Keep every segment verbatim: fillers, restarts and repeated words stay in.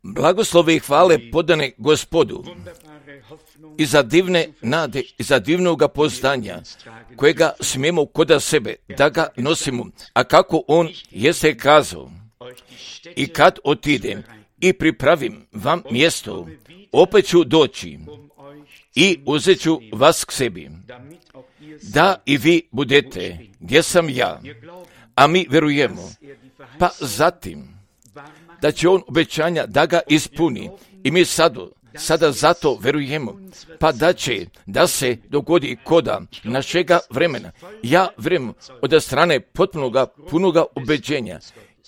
Blagoslove i hvale podane Gospodu i za divne nade i za divnoga poznanja kojega smijemo koda sebe da ga nosimo, a kako on jeste kazao: i kad otidem i pripravim vam mjesto, opet ću doći i uzet ću vas k sebi, da i vi budete gdje sam ja. A mi vjerujemo, pa zatim da će on obećanja da ga ispuni i mi sada, sada zato vjerujemo, pa da će da se dogodi koda našega vremena. Ja vjerujem od strane potpunoga, punoga ubeđenja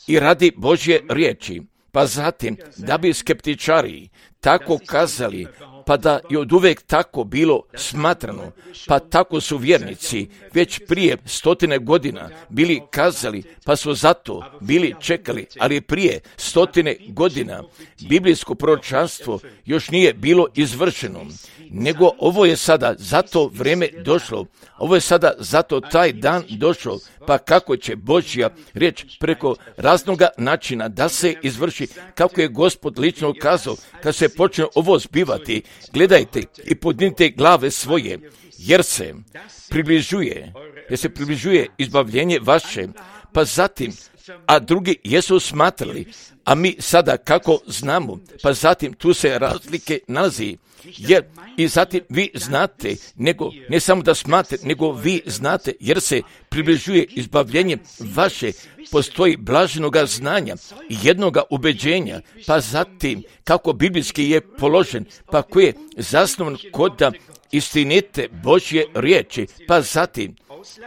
i radi Božje riječi, pa zatim da bi skeptičari tako kazali, pa da je od uvijek tako bilo smatrano, pa tako su vjernici već prije stotine godina bili kazali, pa su zato bili čekali, ali prije stotine godina biblijsko proročanstvo još nije bilo izvršeno, nego ovo je sada zato vrijeme došlo, ovo je sada zato taj dan došao, pa kako će Božja riječ preko raznoga načina da se izvrši, kako je Gospod lično kazao, kad se počne ovo zbivati, gledajte i podnite glave svoje, jer se približuje, jer se približuje izbavljenje vaše, pa zatim, a drugi jesu smatrali, a mi sada kako znamo, pa zatim tu se razlike nalazi, jer i zatim vi znate, nego ne samo da smatrate, nego vi znate, jer se približuje izbavljenje vaše, postoji blaženoga znanja i jednoga ubeđenja, pa zatim kako biblijski je položen, pa koji je zasnovan kod istinite Božje riječi, pa zatim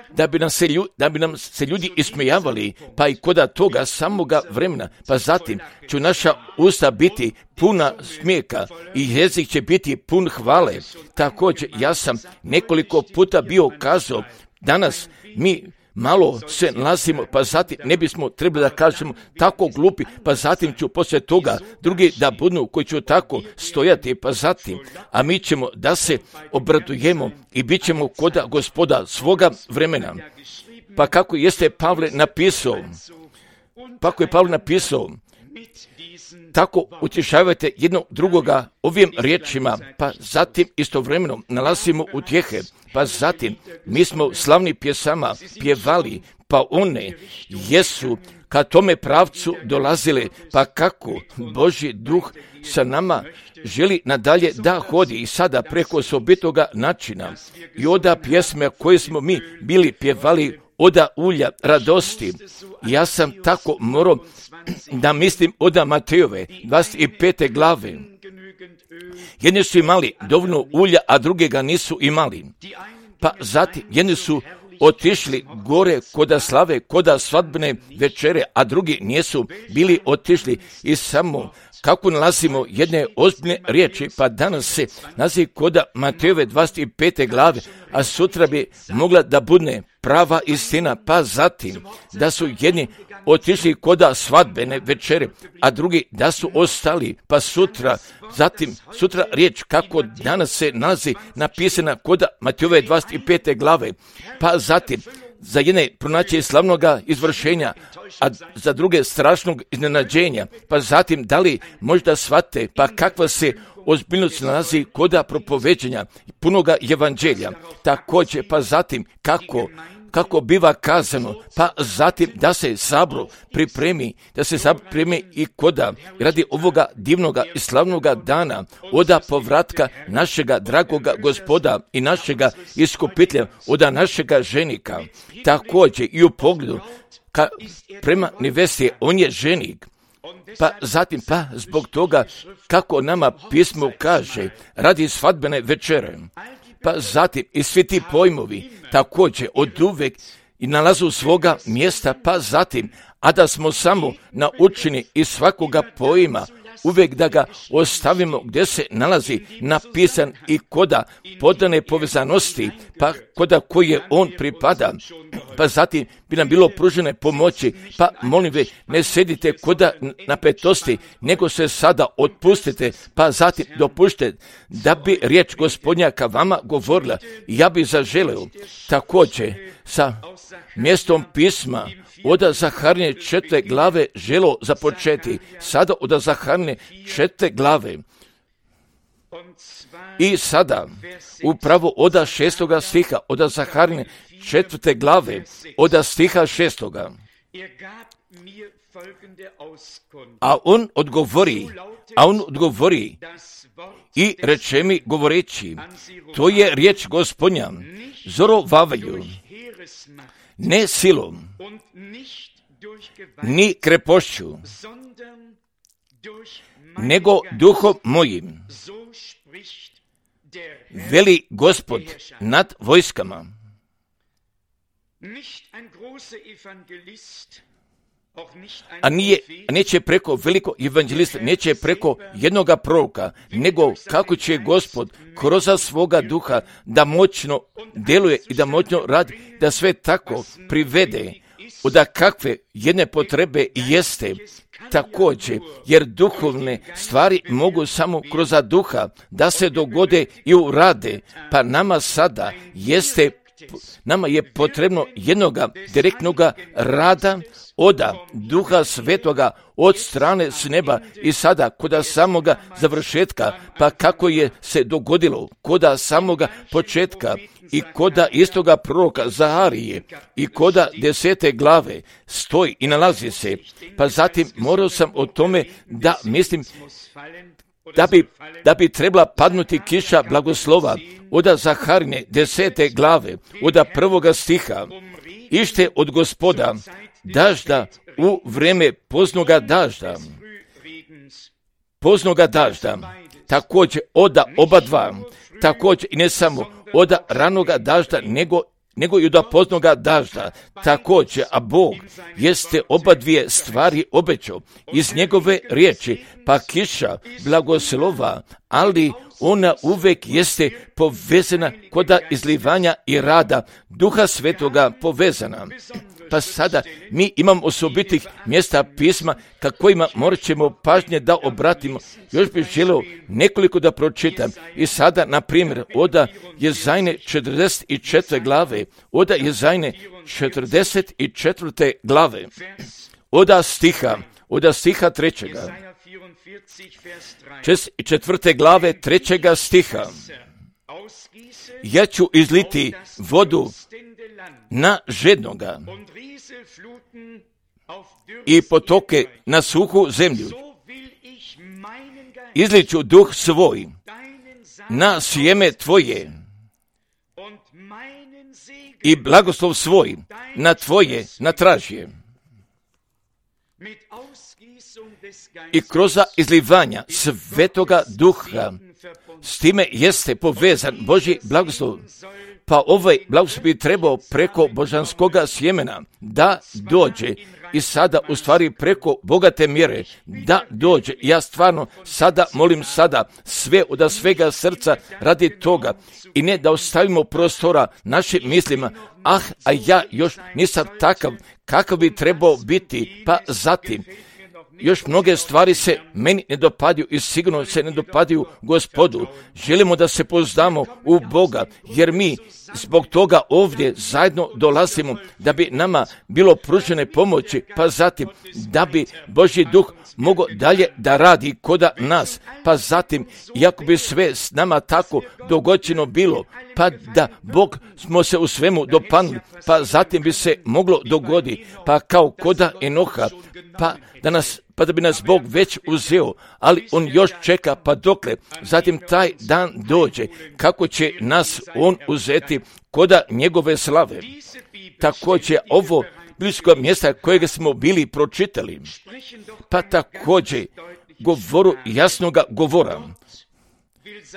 da bi nam se, ljudi, da bi nam se ljudi ismijavali, pa i koda toga samoga vremena, pa zatim će naša usta biti puna smijeka i jezik će biti pun hvale. Također, ja sam nekoliko puta bio kazao, danas mi malo se nalazimo, pa zatim ne bismo trebali da kažemo tako glupi, pa zatim ću poslije toga drugi da budu koji će tako stojati, pa zatim, a mi ćemo da se obradujemo i bit ćemo koda Gospoda svoga vremena. Pa kako jeste Pavle napisao, pa kako je Pavle napisao, tako utješavajte jednog drugoga ovim riječima, pa zatim istovremeno nalazimo utjehe, pa zatim mi smo slavni pjesama pjevali, pa one jesu ka tome pravcu dolazile, pa kako Božji duh sa nama želi nadalje da hodi i sada preko osobitoga načina i oda pjesme koje smo mi bili pjevali, oda ulja radosti. Ja sam tako morao da mislim oda Matejove dvadeset pete glave. Jedni su imali dovoljno ulja, a druge ga nisu imali. Pa zatim jedni su otišli gore koda slave, koda svadbene večere, a drugi nisu bili otišli i samo kako nalazimo jedne ozbiljne riječi, pa danas se nalazi koda Matejove dvadeset pete glave, a sutra bi mogla da bude prava istina, pa zatim da su jedni otišli koda svadbene večere, a drugi da su ostali, pa sutra, zatim sutra riječ kako danas se nalazi napisana koda Matejove dvadeset pete glave, pa zatim za jedne pronaći slavnoga izvršenja, a za druge strašnog iznenađenja, pa zatim da li možda shvate, pa kakva se ozbiljnost nalazi koda propoveđenja punoga evanđelja, također, pa zatim kako kako biva kazano, pa zatim da se sabor pripremi, da se sabor pripremi i koda radi ovoga divnoga i slavnoga dana, oda povratka našega dragoga Gospoda i našega iskupitelja, oda našega ženika. Također i u pogledu ka, prema nevesti, on je ženik. Pa zatim, pa zbog toga kako nama pismo kaže, radi svadbene večere. Pa zatim i svi ti pojmovi također od uvek i nalazu svoga mjesta, pa zatim, a da smo samo naučeni iz svakoga pojma, uvijek da ga ostavimo gdje se nalazi napisan i koda podane povezanosti, pa koda koji je on pripada, pa zatim bi nam bilo pružene pomoći, pa molim ve, ne sedite koda napetosti, nego se sada otpustite, pa zatim dopušte da bi riječ Gospodnja ka vama govorila. Ja bi zaželeo također sa mjestom pisma od Zaharine četvrte glave želo započeti. Sada od Zaharine četvrte glave. I sada, upravo od šestoga stiha, od Zaharine četvrte glave, od stiha šestoga. A on odgovori, a on odgovori i reče mi govoreći, to je riječ Gospodnja, Zorobabelu, ne silom, ni krepošću, nego duhom mojim, veli Gospod nad vojskama. A nije, neće preko velikog evanđelista, neće preko jednoga proroka, nego kako će Gospod kroz svoga duha da moćno djeluje i da moćno radi, da sve tako privede od kakve jedne potrebe jeste također, jer duhovne stvari mogu samo kroz duha da se dogode i urade, pa nama sada jeste, nama je potrebno jednoga direktnoga rada od Duha Svetoga od strane s neba i sada kod samoga završetka, pa kako je se dogodilo kod samoga početka i kod istoga proroka Zaharije i kod desete glave stoji i nalazi se, pa zatim morao sam o tome da mislim da bi, da bi trebala padnuti kiša blagoslova od Zaharine desete glave, od prvoga stiha, ište od Gospoda dažda u vreme poznoga dažda, poznoga dažda, također od oba dva, također i ne samo od ranoga dažda, nego nego i od poznoga dažda, također, a Bog jeste oba dvije stvari obećao iz njegove riječi, pa kiša blagoslova, ali ona uvek jeste povezana kod izlivanja i rada Duha Svetoga povezana. Pa sada mi imamo osobitih mjesta pisma kakvima morat ćemo pažnje da obratimo. Još bih želio nekoliko da pročitam. I sada, na primjer, od Jezajne četrdeset četvrte glave, od Jezajne četrdeset četvrte glave, od stiha, od stiha trećega, četvrte glave trećega stiha. Ja ću izliti vodu na žednoga i potoke na suhu zemlju. Izliću duh svoj na sjeme tvoje i blagoslov svoj na tvoje natražje. I kroz izlivanja Svetoga Duha s time jeste povezan Božji blagoslov. Pa ovaj blagoslov bi trebao preko božanskoga sjemena da dođe i sada u stvari preko bogate mjere da dođe. Ja stvarno sada molim sada sve od svega srca radi toga i ne da ostavimo prostora našim mislima, ah, a ja još nisam takav kakav bi trebao biti, pa zatim još mnoge stvari se meni ne dopadaju i sigurno se ne dopadaju Gospodu. Želimo da se pouzdamo u Boga, jer mi zbog toga ovdje zajedno dolazimo da bi nama bilo pružene pomoći, pa zatim da bi Božji duh mogao dalje da radi kod nas, pa zatim iako bi sve s nama tako dogođeno bilo, pa da Bog smo se u svemu dopanuli, pa zatim bi se moglo dogoditi, pa kao koda Enoha, pa da nas pa da bi nas Bog već uzeo, ali on još čeka, pa dokle zatim taj dan dođe, kako će nas on uzeti koda njegove slave. Također ovo blisko mjesta kojega smo bili pročitali, pa također govoru jasnoga govora.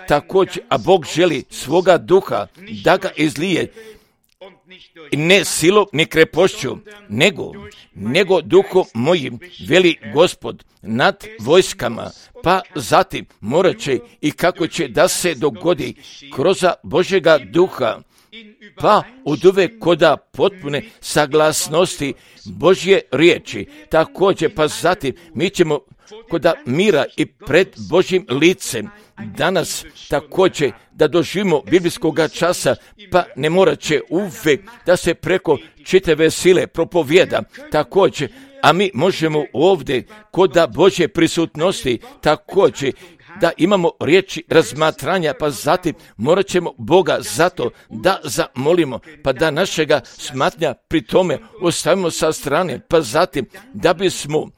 Također, a Bog želi svoga duha da ga izlije, ne silom ni krepošću, nego, nego duhom mojim, veli Gospod, nad vojskama, pa zatim morat će i kako će da se dogodi kroz Božjega duha pa od uvek koda potpune saglasnosti Božje riječi. Također, pa zatim mi ćemo koda mira i pred Božjim licem danas također da doživimo biblijskog časa, pa ne morat će uvek da se preko čitave sile propovjeda također, a mi možemo ovdje koda Božje prisutnosti također da imamo riječi razmatranja, pa zatim morat ćemo Boga zato da zamolimo, pa da našega smatnja pri tome ostavimo sa strane, pa zatim da bismo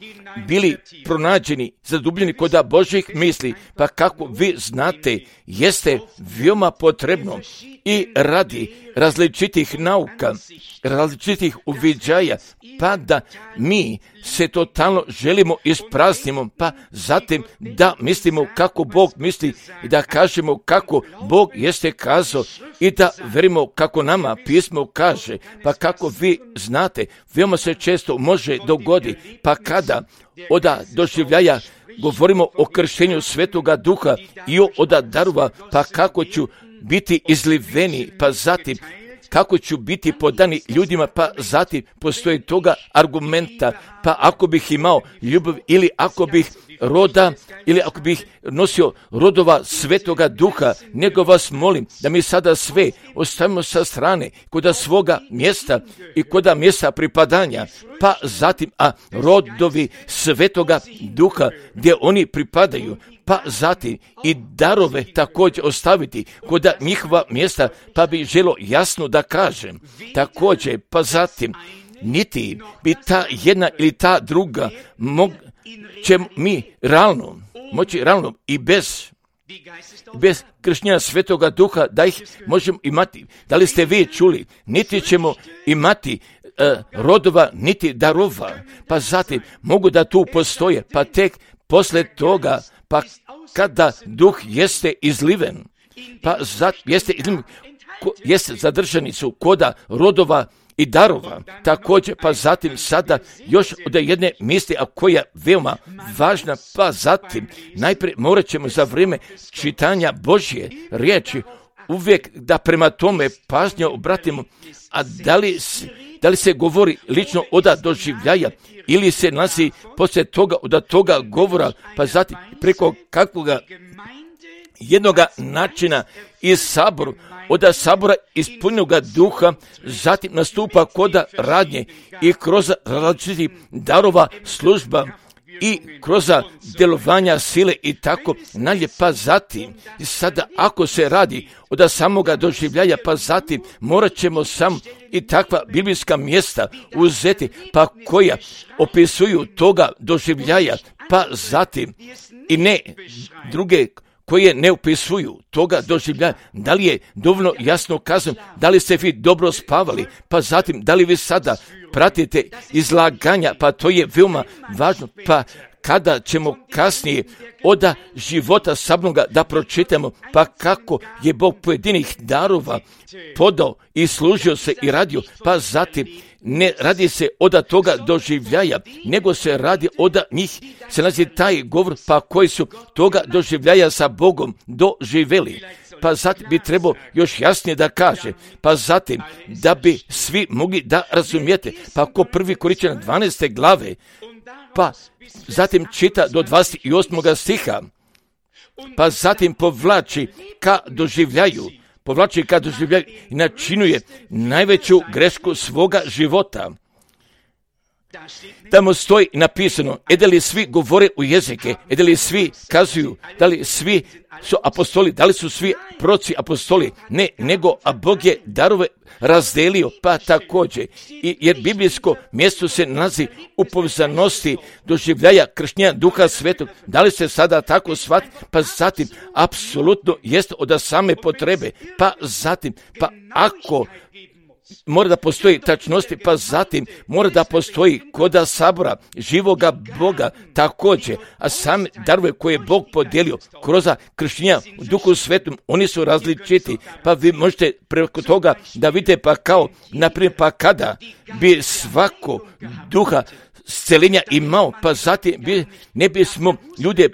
bili pronađeni, zadubljeni koda Božjih misli, pa kako vi znate, jeste veoma potrebno i radi različitih nauka, različitih uviđaja, pa da mi se totalno želimo ispraznimo, pa zatim da mislimo kako Bog misli i da kažemo kako Bog jeste kazao i da verimo kako nama pismo kaže, pa kako vi znate, veoma se često može dogoditi, pa kada oda doživljaja govorimo o krštenju Svetoga Duha i o oda darova, pa kako ću biti izliveni, pa zatim kako ću biti podani ljudima, pa zatim postoji toga argumenta, pa ako bih imao ljubav ili ako bih roda ili ako bih nosio rodova Svetoga Duha, nego vas molim da mi sada sve ostavimo sa strane koda svoga mjesta i koda mjesta pripadanja, pa zatim, a rodovi Svetoga Duha gdje oni pripadaju, pa zatim i darove također ostaviti koda njihova mjesta, pa bi želo jasno da kažem također, pa zatim niti bi ta jedna ili ta druga mog, će mi realno, moći realno i bez bez krštenja Svetoga Duha da ih možemo imati. Da li ste vi čuli? Niti ćemo imati uh, rodova, niti darova, pa zatim mogu da tu postoje, pa tek posle toga, pa kada Duh jeste izliven, pa zatim jeste izliven, ko, jeste zadržani su koda rodova i darova, također, pa zatim sada još od jedne misli, a koja je veoma važna, pa zatim najprije morat ćemo za vrijeme čitanja Božje riječi uvijek da prema tome pažnje obratimo, a da li, da li se govori lično oda doživljaja ili se nalazi poslije toga od toga govora, pa zatim preko kakvoga jednoga načina iz saboru, od sabora ispunjenog duha, zatim nastupa koda radnje i kroz različitih darova služba i kroz djelovanja sile i tako nalje, pa zatim sada ako se radi od samoga doživljaja, pa zatim morat ćemo sam i takva biblijska mjesta uzeti, pa koja opisuju toga doživljaja, pa zatim i ne druge koje ne upisuju toga doživljaja. Da li je dovoljno jasno kazano, da li ste vi dobro spavali, pa zatim da li vi sada pratite izlaganja, pa to je veoma važno, pa kada ćemo kasnije oda života sabnoga da pročitamo, pa kako je Bog pojedinih darova podao i služio se i radio, pa zatim ne radi se oda toga doživljaja, nego se radi oda njih, se nazi taj govor, pa koji su toga doživljaja sa Bogom doživjeli. Pa zatim bi trebao još jasnije da kaže, pa zatim da bi svi mogli da razumijete, pa ko prvi Korinćana dvanaeste glave, pa zatim čita do dvadeset osmog stiha, pa zatim povlači ka doživljaju, povlači ka doživljaju i načinuje najveću grešku svoga života. Tamo stoji napisano, e da li svi govore u jezike, e da li svi kazuju, da li svi su apostoli, da li su svi proci apostoli, ne, nego a Bog je darove razdelio, pa također, I, jer biblijsko mjesto se nalazi u povezanosti doživljaja krštenja Duha Svetog. Da li se sada tako shvati, pa zatim, apsolutno jest od same potrebe, pa zatim, pa ako mora da postoji tačnosti, pa zatim mora da postoji koda sabora živoga Boga također, a same darove koje je Bog podijelio kroz krštenja u Duhu Svetom, oni su različiti, pa vi možete preko toga da vidite, pa kao, naprimjer, pa kada bi svako duha scelenja imao, pa zatim bi, ne bismo ljude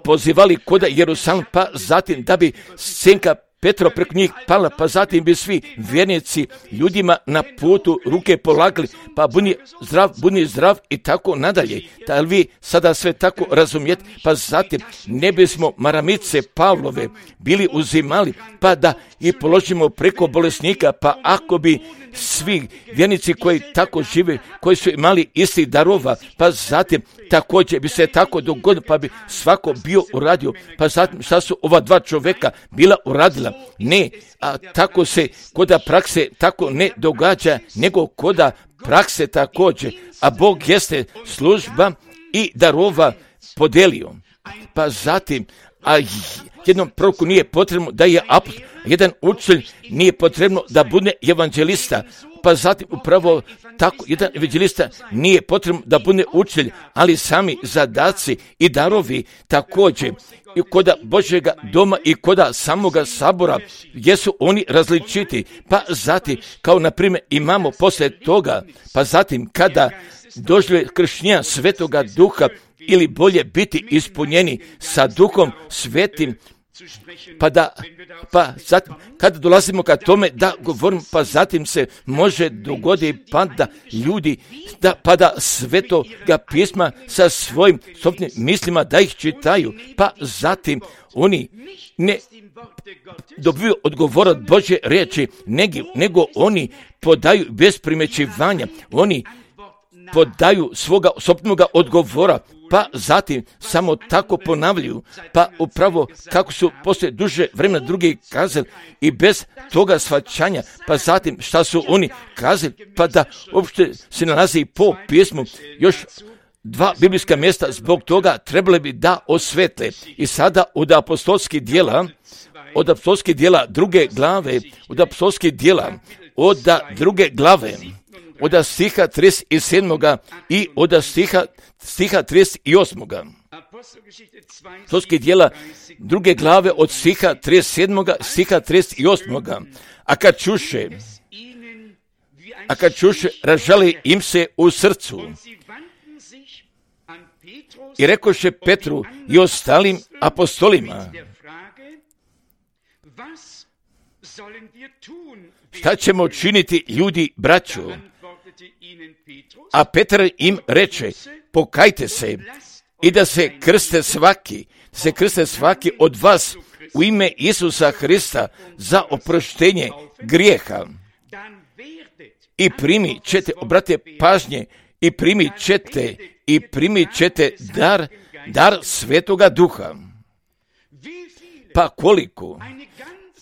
pozivali koda Jerusalim, pa zatim da bi senka Petro preko njih pala, pa zatim bi svi vjernici ljudima na putu ruke polagali, pa budi zdrav, budi zdrav i tako nadalje. Da li vi sada sve tako razumijete? Pa zatim ne bismo maramice Pavlove bili uzimali, pa da i položimo preko bolesnika, pa ako bi svi vjernici koji tako žive, koji su imali isti darova, pa zatim također bi se tako dogodilo, pa bi svako bio uradio, pa zatim šta su ova dva čovjeka bila uradila? Ne, a tako se koda prakse tako ne događa, nego koda prakse također, a Bog jeste služba i darova podelio. Pa zatim, a jednom proroku nije potrebno da je apostol, jedan učitelj nije potrebno da bude evanđelista, pa zatim upravo tako jedan evanđelista nije potrebno da bude učitelj, ali sami zadaci i darovi također i koda Božjega doma i koda samoga sabora jesu oni različiti. Pa zatim, kao na primjer imamo poslije toga, pa zatim kada dožive krštenja Svetoga Duha, ili bolje biti ispunjeni sa Duhom Svetim, pa da, pa zatim, kada dolazimo ka tome da govorimo, pa zatim se može dogoditi pa da ljudi, da, pa da Svetoga pisma sa svojim sobstvenim mislima da ih čitaju, pa zatim oni ne dobiju odgovor od Božje riječi, nego, nego oni podaju bez primećivanja, oni podaju svoga osobnoga odgovora, pa zatim samo tako ponavljaju, pa upravo kako su poslije duže vremena drugi kazali i bez toga shvaćanja, pa zatim šta su oni kazali, pa da uopšte se nalazi po pismu još dva biblijska mjesta, zbog toga trebali bi da osvetle. I sada od apostolskih djela, od apostolskih djela druge glave, od apostolskih djela, od druge glave, od stiha trideset sedam. i od stiha, stiha trideset osam. Apostolskih djela druge glave od stiha trideset sedam. stiha trideset osam. A kad čuše, a kad čuše, ražali im se u srcu i rekoše Petru i ostalim apostolima: šta ćemo činiti, ljudi, braćo? A Petar im reče: pokajte se i da se krste svaki, se krste svaki od vas u ime Isusa Hrista za oproštenje grijeha. I primit ćete, obratite pažnje, i primit ćete, i primit ćete dar, dar Svetoga Duha. Pa koliko?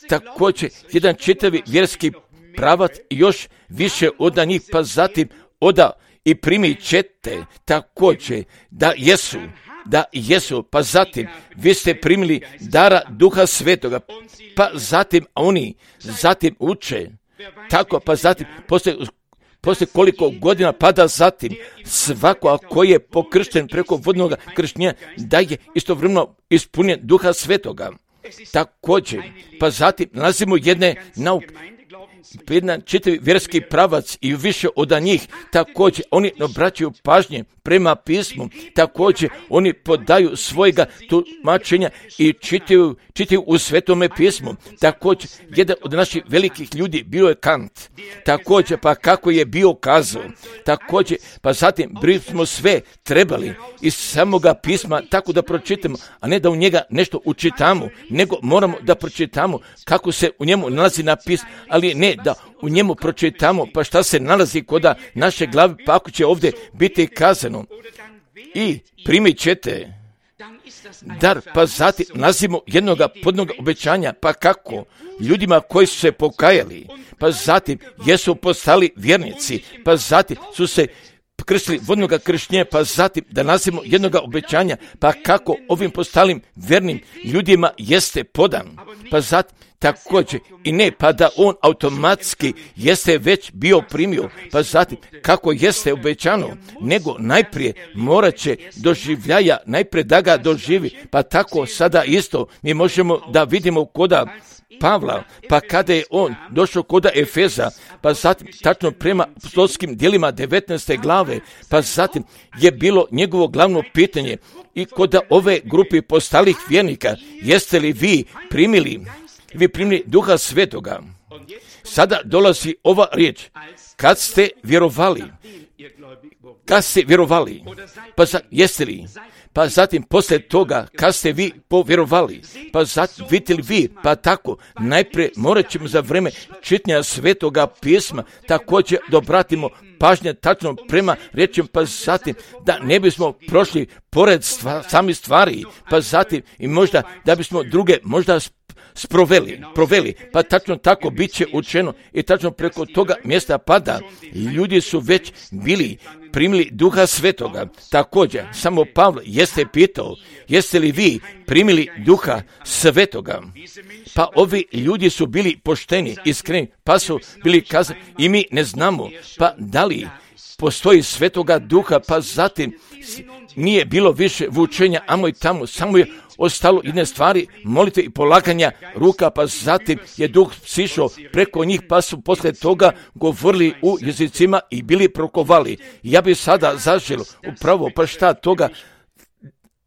Također, jedan čitavi vjerski pravac još više od njih, pa zatim oda i primit ćete također da jesu, da jesu, pa zatim vi ste primili dara Duha Svetoga, pa zatim oni zatim uče, tako, pa zatim poslije, poslije koliko godina, pa da zatim svako koji je pokršten preko vodnog krštenja da je istovremeno ispunjen Duha Svetoga. Također, pa zatim nalazimo jedne nauke, jedan čitavi vjerski pravac i više od njih, također oni obraćaju pažnje prema pismu, također oni podaju svojega tumačenja i čitaju, čitaju u Svetome pismu. Također, jedan od naših velikih ljudi bio je Kant, također, pa kako je bio kazao, također, pa zatim bismo sve trebali iz samoga pisma tako da pročitamo, a ne da u njega nešto učitamo, nego moramo da pročitamo kako se u njemu nalazi napis, ali ne da u njemu pročitamo pa šta se nalazi kod naše glave, pa ako će ovdje biti kazano i primit ćete dar, pa zatim nalazimo jednog podnog obećanja, pa kako ljudima koji su se pokajali, pa zatim jesu postali vjernici, pa zatim su se krstili vodnog krštenja, pa zatim da nalazimo jednog obećanja, pa kako ovim postalim vjernim ljudima jeste podan, pa zatim također i ne pa da on automatski jeste već bio primio, pa zatim kako jeste obećano, nego najprije morat će doživljaja, najprije da ga doživi, pa tako sada isto mi možemo da vidimo koda Pavla, pa kada je on došao koda Efeza, pa zatim tačno prema apostolskim djelima devetnaeste glave, pa zatim je bilo njegovo glavno pitanje i koda ove grupe postalih vjernika: jeste li vi primili vi primili Duha Svetoga. Sada dolazi ova riječ, kad ste vjerovali, kad ste vjerovali, pa za, jeste li, pa zatim poslije toga, kad ste vi povjerovali, pa zatim vidite li vi, pa tako, najprije morat ćemo za vrijeme čitanja Svetoga pisma također da obratimo pažnje tačno prema riječima, pa zatim da ne bismo prošli pored stva, sami stvari, pa zatim i možda da bismo druge možda sproveli, proveli, pa tačno tako bit će učeno i tačno preko toga mjesta pada. Ljudi su već bili primili Duha Svetoga. Također, samo Pavle jeste pitao, jeste li vi primili Duha Svetoga? Pa ovi ljudi su bili pošteni, iskreni, pa su bili kazani i mi ne znamo, pa da li postoji Svetoga Duha, pa zatim nije bilo više vučenja amo i tamo, samo je ostalo jedne stvari, molitve i polaganja ruka, pa zatim je Duh sišao preko njih, pa su poslije toga govorili u jezicima i bili prokovali. Ja bih sada zaželio upravo, pa šta toga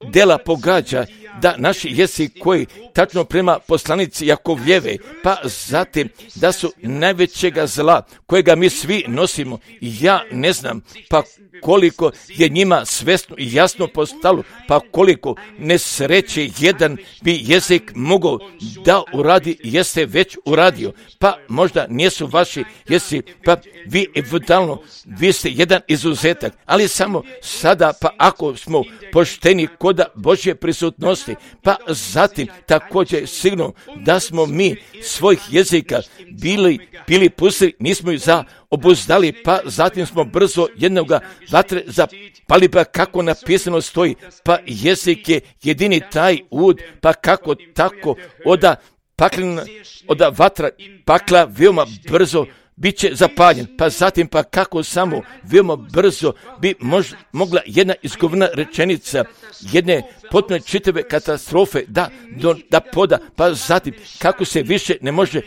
dela pogađa, da naši jezik koji tačno prema poslanici Jakovljeve, pa zatim da su najvećega zla kojega mi svi nosimo, ja ne znam, pa koliko je njima svesno i jasno postalo, pa koliko nesreće jedan bi jezik mogao da uradi, jeste već uradio, pa možda nisu vaši jesi, pa vi eventualno, vi ste jedan izuzetak, ali samo sada, pa ako smo pošteni koda Božje prisutnosti, pa zatim također sigurno da smo mi svojih jezika bili, bili pustili, nismo ih za obuzdali, pa zatim smo brzo jednoga vatre zapali, pa kako napisano stoji, pa jezik je jedini taj ud, pa kako tako oda paklina, oda vatra pakla veoma brzo bit će zapaljen, pa zatim pa kako samo veoma brzo bi mož, mogla jedna izgovorna rečenica jedne potpuno čitave katastrofe da, do, da poda, pa zatim kako se više ne može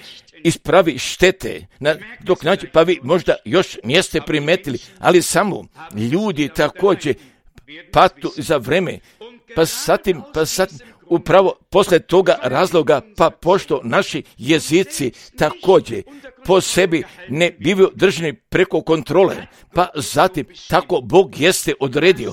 ispravi štete, na, dok nađe, pa vi možda još niste primetili, ali samo ljudi također patu za vreme, pa zatim, pa zatim upravo posle toga razloga, pa pošto naši jezici također po sebi ne bivaju držani preko kontrole, pa zatim tako Bog jeste odredio,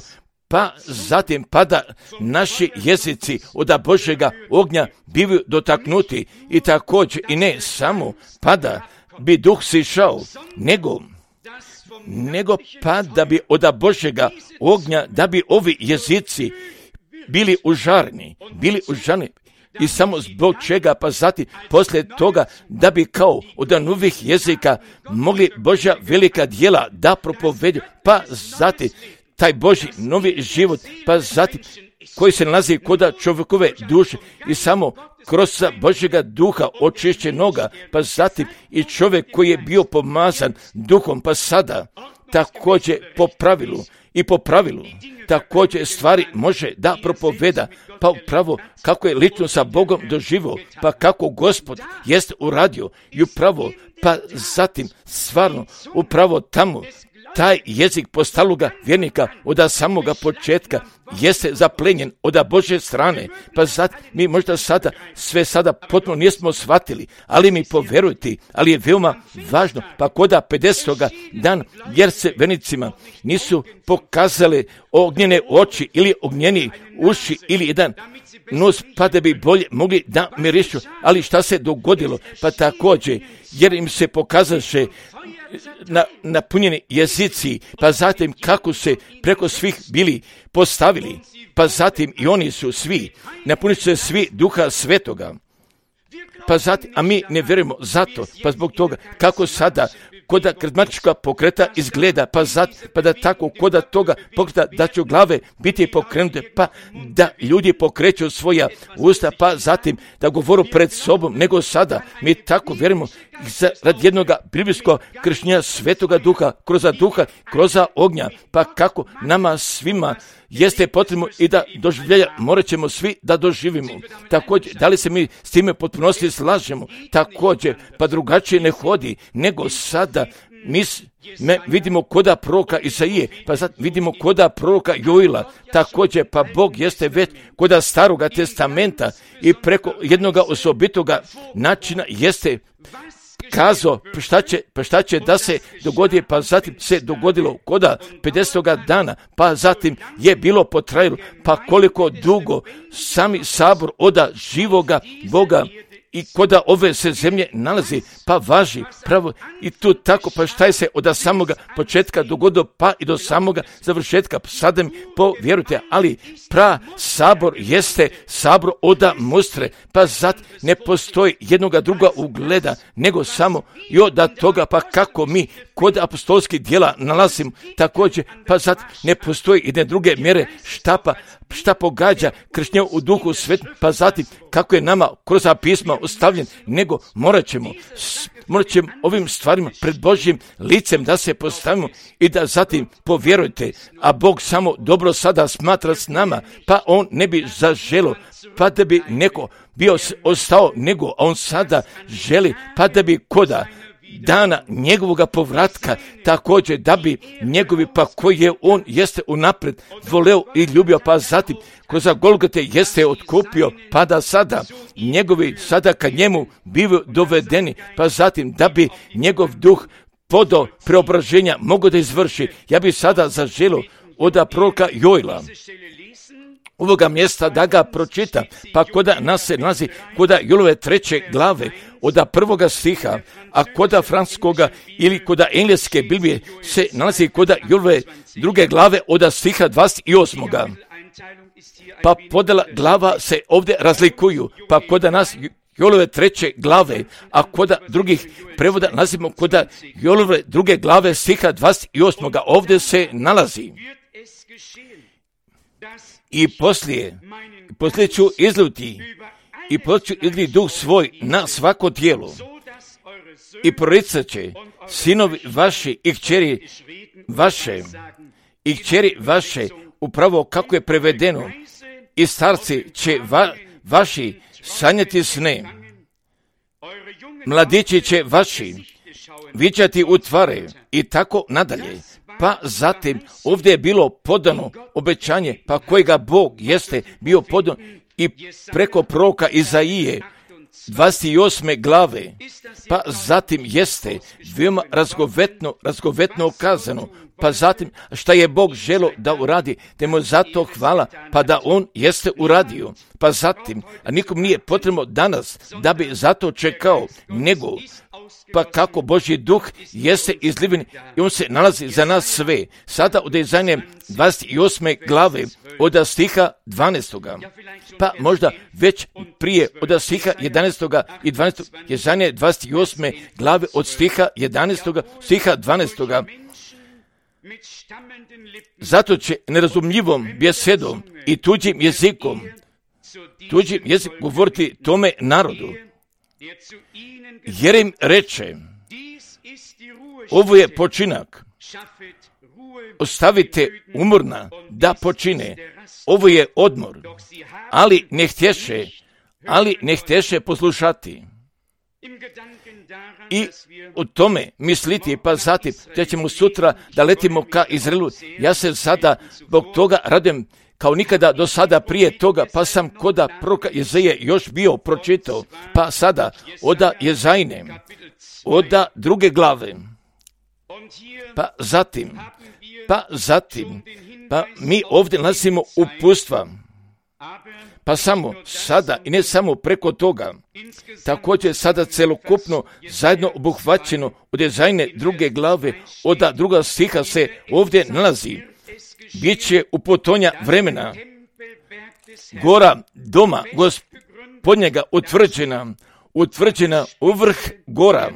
pa zatim pada naši jezici od Božjega ognja bivaju dotaknuti i također i ne samo pada bi duh sišao, nego nego pa da bi od Božjega ognja, da bi ovi jezici bili užarni, bili užarni i samo zbog čega, pa zatim poslije toga da bi kao od novih jezika mogli Božja velika djela da propovedu, pa zatim taj Božji novi život, pa zatim koji se nalazi kod čovjekove duše i samo kroz Božjega duha očišćenoga, pa zatim i čovjek koji je bio pomazan duhom, pa sada također po pravilu i po pravilu također stvari može da propoveda, pa upravo kako je lično sa Bogom doživio, pa kako Gospod jest uradio i upravo, pa zatim stvarno upravo tamo taj jezik postaloga vjernika od samoga početka jeste zaplenjen od Božje strane, pa sad mi možda sada sve sada potpuno nismo shvatili, ali mi povjerujte, ali je veoma važno, pa koda pedesetoga dan jer se vernicima nisu pokazale ognjene oči ili ognjeni uši ili jedan nos, pa da bi bolje mogli da mirišu, ali šta se dogodilo, pa također jer im se pokazaše na, napunjeni jezici, pa zatim kako se preko svih bili postavili, pa zatim i oni su svi, napunit se svi Duha Svetoga, pa zatim, a mi ne vjerujemo zato, pa zbog toga kako sada koda karizmatička pokreta izgleda, pa zat, pa da tako koda toga pokreta da će glave biti pokrenute, pa da ljudi pokreću svoja usta, pa zatim da govoru pred sobom, nego sada mi tako vjerujemo radi jednog biblijskog krštenja Svetoga Duha, kroz duha, kroz ognja, pa kako nama svima jeste potrebno i da doživljaja morat ćemo svi da doživimo. Također, da li se mi s time potpunosti slažemo? Također, pa drugačije ne hodi, nego sada mi me vidimo koda proroka Isaije, pa sad vidimo koda proroka Joila, također pa Bog jeste već koda Staroga testamenta i preko jednoga osobitoga načina jeste kazao šta će, pa šta će da se dogodi, pa zatim se dogodilo koda pedesetoga dana, pa zatim je bilo potrajalo, pa koliko dugo sami sabor oda živoga Boga i koda ove se zemlje nalazi, pa važi pravo i tu tako, pa šta je se od samoga početka dogodilo, pa i do samoga završetka, sada mi povjerujte, ali pra sabor jeste sabor oda mustre, pa zat ne postoji jednoga druga ugleda, nego samo i od toga, pa kako mi kod apostolskih djela nalazimo također, pa zat ne postoji jedne druge mjere šta pa šta pogađa kršnje u duhu svetu, pa zatim kako je nama kroz pisma ostavljen, nego morat ćemo, morat ćemo ovim stvarima pred Božjim licem da se postavimo i da zatim povjerujte, a Bog samo dobro sada smatra s nama, pa on ne bi zaželo, pa da bi neko bio ostao, nego on sada želi, pa da bi koda dana njegovoga povratka, također da bi njegovi, pa koji je on jeste unaprijed voleo i ljubio, pa zatim kroz Golgote jeste otkupio, pa da sada njegovi sada kad njemu bivaju dovedeni, pa zatim da bi njegov duh podo preobraženja mogo da izvrši. Ja bi sada zaželio od proroka Joila ovoga mjesta da ga pročita, pa koda nas se nalazi koda Jolove treće glave od prvoga stiha, a koda francuskoga ili koda engleske Biblije se nalazi koda Jolove druge glave od stiha dvadeset osmoga. Pa podjela glava se ovdje razlikuju, pa koda nas Jolove treće glave, a koda drugih prevoda nalazimo koda Jolove druge glave stiha dvadeset osmoga. Ovdje se nalazi. I poslije, poslije ću izluti i poslije ću izliti duh svoj na svako tijelo i proricat će sinovi vaši i kćeri vaše i kćeri vaše, upravo kako je prevedeno, i starci će va, vaši sanjati sne, mladići će vaši viđati u tvare i tako nadalje. Pa zatim ovdje je bilo podano obećanje, pa kojega Bog jeste bio podan i preko proroka Izaije dvadeset osme glave, pa zatim jeste veoma razgovetno, razgovetno kazano, pa zatim šta je Bog želo da uradi, te mu zato hvala, pa da on jeste uradio, pa zatim, a nikom nije potrebno danas da bi zato čekao, nego pa kako Božji duh jeste izliven i on se nalazi za nas sve. Sada od Izaije dvadeset osme glave od stiha dvanaestoga. Pa možda već prije od stiha jedanaestoga i dvanaestoga. Izaije dvadeset osme glave od stiha jedanaestoga, stiha dvanaestoga. Zato će nerazumljivom besedom i tuđim jezikom, tuđim jezikom govoriti tome narodu, jer im reče, ovo je počinak, ostavite umorna da počine, ovo je odmor, ali ne htješe, ali ne htješe poslušati. I o tome misliti, pa zatim da ćemo sutra da letimo ka Izraelu. Ja se sada zbog toga radujem kao nikada do sada prije toga, pa sam koda proroka Izaije još bio pročitao, pa sada oda Izajine, oda druge glave, pa zatim, pa zatim, pa mi ovdje nalazimo uputstva, pa samo sada i ne samo preko toga, također sada celokupno zajedno obuhvaćeno od Izajine druge glave, oda druga stiha se ovdje nalazi. Biće u potonja vremena gora doma Gospodnjega utvrđena, utvrđena u vrh gora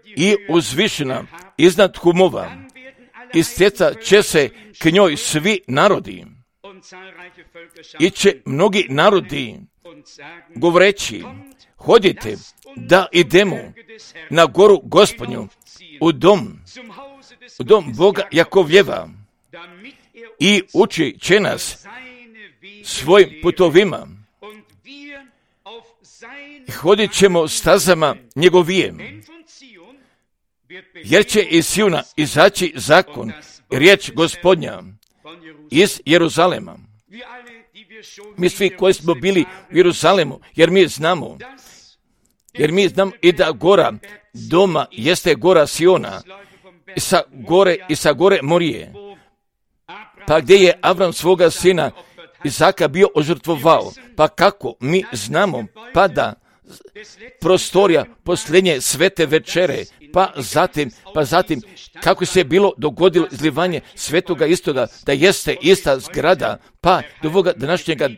i uzvišena iznad humova. Istjecat će se k njoj svi narodi i će mnogi narodi govoreći, hodite da idemo na goru Gospodnju, u dom, u dom Boga Jakovljeva, i uči će nas svojim putovima i hodit ćemo stazama njegovijem. jer će iz Siona izaći zakon, riječ Gospodnja iz Jeruzalema. Mi svi koji smo bili u Jeruzalemu, jer mi znamo, jer mi znamo i da gora doma jeste gora Siona, i sa gore i sa gore Morije, pa gdje je Avram svoga sina Izaka bio ožrtvovao, pa kako mi znamo, pa da prostorija posljednje svete večere, pa zatim, pa zatim kako se je bilo dogodilo izlivanje svetoga istoga, da jeste ista zgrada, pa do ovoga današnjega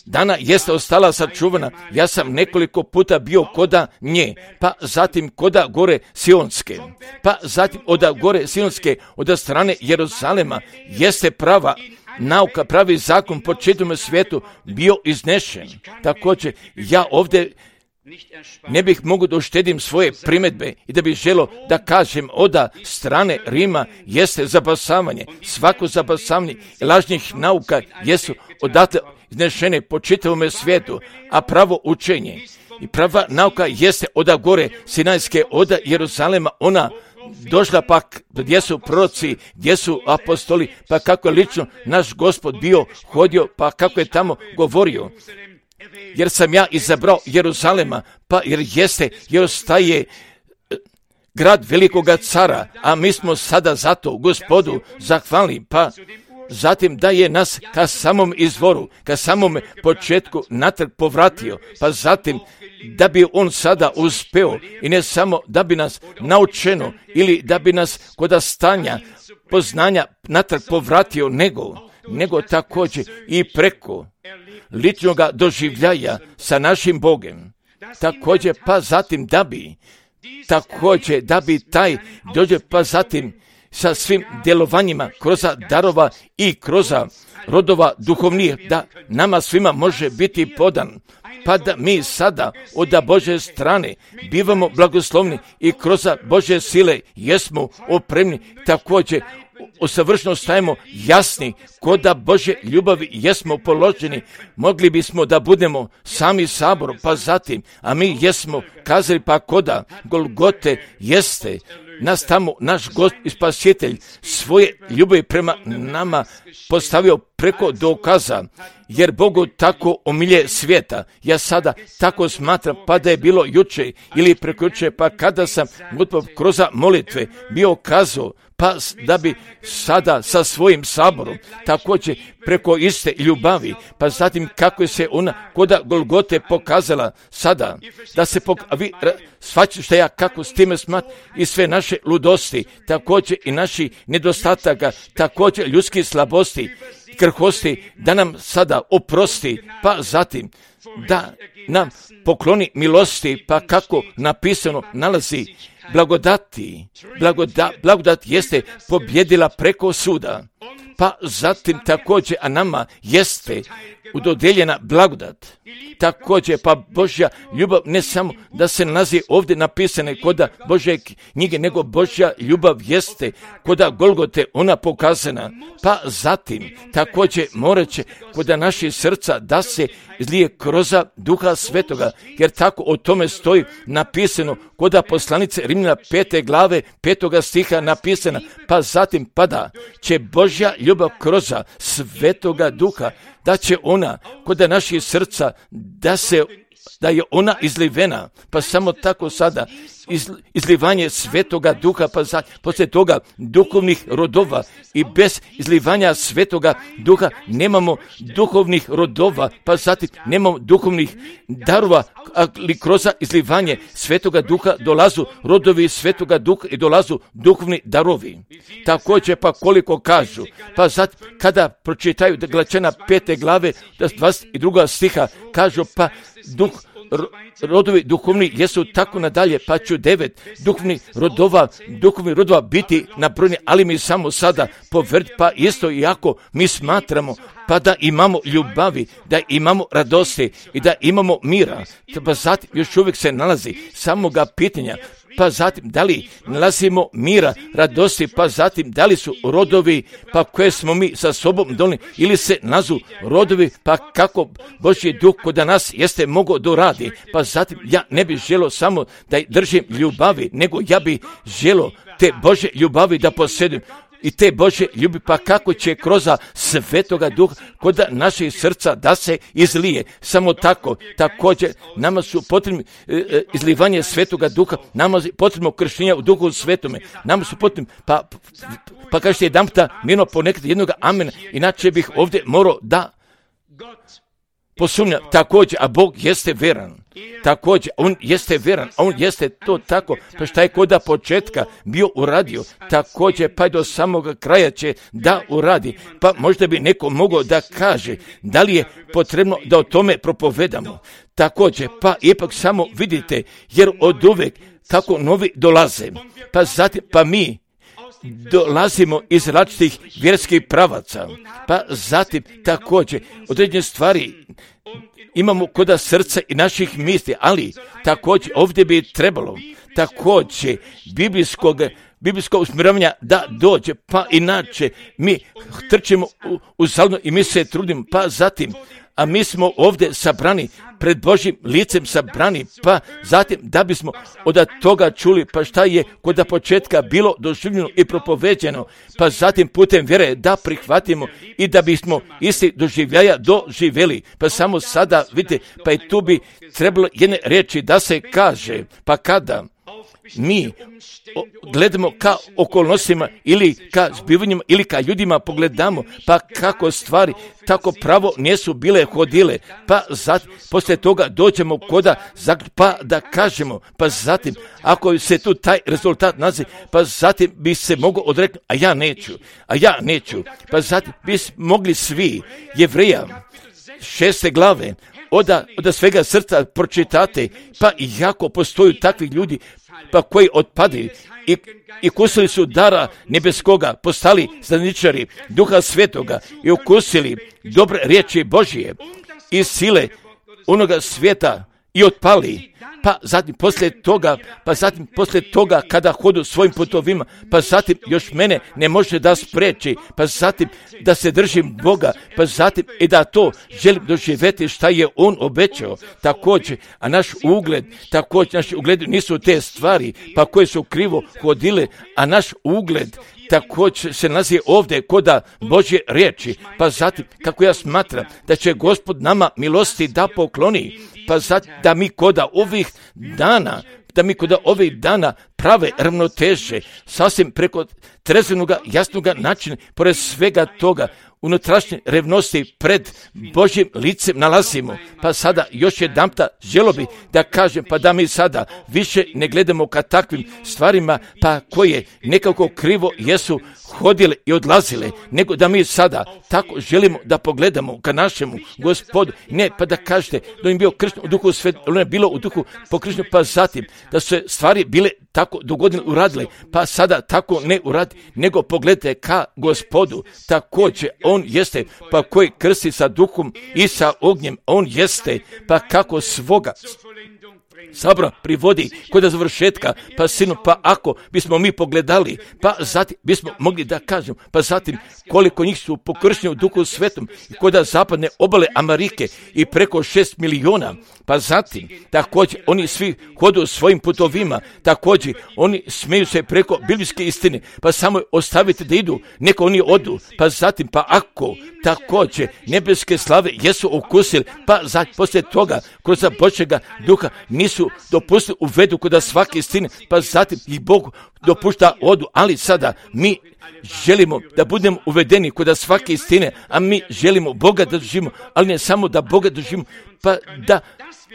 dana jeste ostala sačuvana. Ja sam nekoliko puta bio koda nje, pa zatim koda gore Sionske, pa zatim od gore Sionske, od strane Jeruzalema, jeste prava nauka, pravi zakon po čitavom svijetu bio iznešen. Također, ja ovdje ne bih mogu da uštedim svoje primjedbe i da bih želo da kažem oda strane Rima jeste zabasavanje. Svako zabasavanje i lažnih nauka jesu odatle iznešene po čitavom svijetu, a pravo učenje i prava nauka jeste oda gore Sinajske, oda Jeruzalema, ona došla pak gdje su proroci, gdje su apostoli, pa kako je lično naš Gospod bio hodio, pa kako je tamo govorio. Jer sam ja izabrao Jeruzalema, pa jer jeste, jer ostaje grad velikoga cara, a mi smo sada zato Gospodu zahvalni, pa zatim da je nas ka samom izvoru, ka samom početku natrag povratio, pa zatim da bi on sada uspeo i ne samo da bi nas naučeno ili da bi nas kod stanja poznanja natrag povratio, nego, nego također i preko ličnog doživljaja sa našim Bogom. Također pa zatim da bi, također da bi taj dođe pa zatim sa svim djelovanjima kroz darova i kroz rodova duhovnih, da nama svima može biti podan, pa da mi sada od Božje strane bivamo blagoslovni i kroz Božje sile jesmo opremni, također usavršeno stajemo jasni, kod da Božje ljubavi jesmo položeni, mogli bismo da budemo sami sabor, pa zatim, a mi jesmo kazali pa koda Golgote jeste nas tamo naš Gospod i Spasitelj svoje ljubavi prema nama postavio preko dokaza, jer Bogu tako omilje svijeta. Ja sada tako smatram, pa da je bilo juče ili prekojuče, pa kada sam gotovo kroz molitve bio kazao, pa da bi sada sa svojim saborom također preko iste ljubavi, pa zatim kako je se ona koda Golgote pokazala sada, da se pok... A vi shvaćate što ja kako s time smat i sve naše ludosti, također i naši nedostataka, također ljudskih slabosti, krhosti, da nam sada oprosti, pa zatim da nam pokloni milosti, pa kako napisano nalazi blagodati, blagoda, blagodat jeste pobjedila preko suda, pa zatim također, a nama jeste udodjeljena blagodat. Također, pa Božja ljubav ne samo da se nalazi ovdje napisane koda Božje knjige, nego Božja ljubav jeste koda Golgote ona pokazana, pa zatim također morat će koda naši srca da se izlije kroz Duha Svetoga, jer tako o tome stoji napisano koda poslanice Rimljana pete glave petoga stiha napisana, pa zatim pada će Božja ljubav kroz Svetoga Duha, da će ona koda naših srca da se da je ona izlivena, pa samo tako sada iz, izlivanje Svetoga Duha, pa za, poslije toga duhovnih rodova, i bez izlivanja Svetoga Duha nemamo duhovnih rodova, pa zatim nemamo duhovnih darova, ali kroz izlivanje Svetoga Duha dolazu rodovi Svetoga Duha i dolazu duhovni darovi. Također pa koliko kažu, pa zatim kada pročitaju Galačana pete glave dvadeset druga stiha, kažu pa duh rodovi duhovni jesu tako nadalje, pa ću devet duhovnih rodova, duhovnih rodova biti nabrojeni, ali mi samo sada povrt, pa isto i ako mi smatramo pa da imamo ljubavi, da imamo radosti i da imamo mira, pa zatim još uvijek se nalazi samoga pitanja, pa zatim da li nalazimo mira, radosti, pa zatim da li su rodovi pa koje smo mi sa sobom donijeli ili se nazu rodovi pa kako Božji duh kod nas jeste mogao doradi, pa zatim ja ne bih želio samo da držim ljubavi, nego ja bih želio te Božje ljubavi da posjedujem. I te Božje ljubi, pa kako će kroz Svetoga Duha kod naših srca da se izlije. Samo tako, također, nama su potrebni e, izlivanje Svetoga Duha, nama je potrebno krštenja u Duhu Svetome, nama su potrebni, pa, pa kažete jedan puta mirno ponekad jednog amena, inače bih ovdje morao da posumnja, također, a Bog jeste veran. Također, on jeste veran, on jeste to tako, pa šta je koda početka bio uradio, također pa do samog kraja će da uradi, pa možda bi neko mogao da kaže da li je potrebno da o tome propovedamo. Također, pa ipak samo vidite, jer od uvek kako novi dolaze, pa zatim, pa mi dolazimo iz različitih vjerskih pravaca, pa zatim također određene stvari imamo kod srca i naših misli, ali također ovdje bi trebalo također biblijskog biblijskog usmjeravanja da dođe, pa inače mi trčimo u, u salno i mi se trudimo, pa zatim, a mi smo ovdje sabrani pred Božjim licem sabrani, pa zatim da bismo od toga čuli, pa šta je kod početka bilo doživljeno i propoveđeno, pa zatim putem vjere da prihvatimo i da bismo isti doživljaja doživjeli, pa samo sada vidite, pa i tu bi trebalo jedne riječi da se kaže, pa kada mi gledamo ka okolnostima ili ka zbivanjima ili ka ljudima pogledamo, pa kako stvari tako pravo nisu bile hodile, pa zatim poslije toga dođemo koda pa da kažemo, pa zatim ako se tu taj rezultat nazi, pa zatim bi se mogao odreknuti, a ja neću, a ja neću, pa zatim bi mogli svi Jevreja šeste glave oda, oda svega srca pročitate, pa i jako postoju takvi ljudi pa koji otpadaju i, i kusili su dara nebeskoga, postali znaničari Duha Svetoga i ukusili dobre riječi Božije i sile onoga svijeta i otpali, pa zatim poslije toga, pa zatim poslije toga kada hodu svojim putovima, pa zatim još mene ne može da spreči, pa zatim da se držim Boga, pa zatim i da to želim doživjeti šta je On obećao, također, a naš ugled, također naši ugledi nisu te stvari, pa koje su krivo hodile, a naš ugled također se nalazi ovdje koda Božje riječi, pa zatim kako ja smatram da će Gospod nama milosti da pokloni, pa zatim da mi koda ovih dana, da mi koda ovih dana prave ravnoteže, sasvim preko trezvenoga, jasnoga načina, pored svega toga, unutrašnje revnosti pred Božjim licem nalazimo. Pa sada još jedanputa želio bih da kažem, pa da mi sada više ne gledamo ka takvim stvarima, pa koje nekako krivo jesu hodile i odlazile, nego da mi sada tako želimo da pogledamo ka našemu Gospodu, ne pa da kažete da im bio kršten u duhu svet, ne bilo u duhu pokršten, pa zatim da su se stvari bile tako dogodine uradile, pa sada tako ne uradi, nego pogledajte ka Gospodu, također on jeste, pa koji krsti sa duhom i sa ognjem, on jeste, pa kako svoga sabora privodi kod završetka, pa sinu, pa ako bismo mi pogledali, pa zatim bismo mogli da kažemo, pa zatim koliko njih su pokršteni u duhu svetom i kod zapadne obale Amerike i preko šest miliona, pa zatim također oni svi hodu svojim putovima, također oni smeju se preko biblijske istine, pa samo ostavite da idu, neko oni odu, pa zatim pa ako također nebeske slave jesu ukusili, pa zatim poslije toga kroz Božjega duha nisu dopustili uvedu kod svake istine, pa zatim ih Bog dopušta odu, ali sada mi želimo da budemo uvedeni kod svake istine, a mi želimo Boga da doživimo, ali ne samo da Boga doživimo, pa da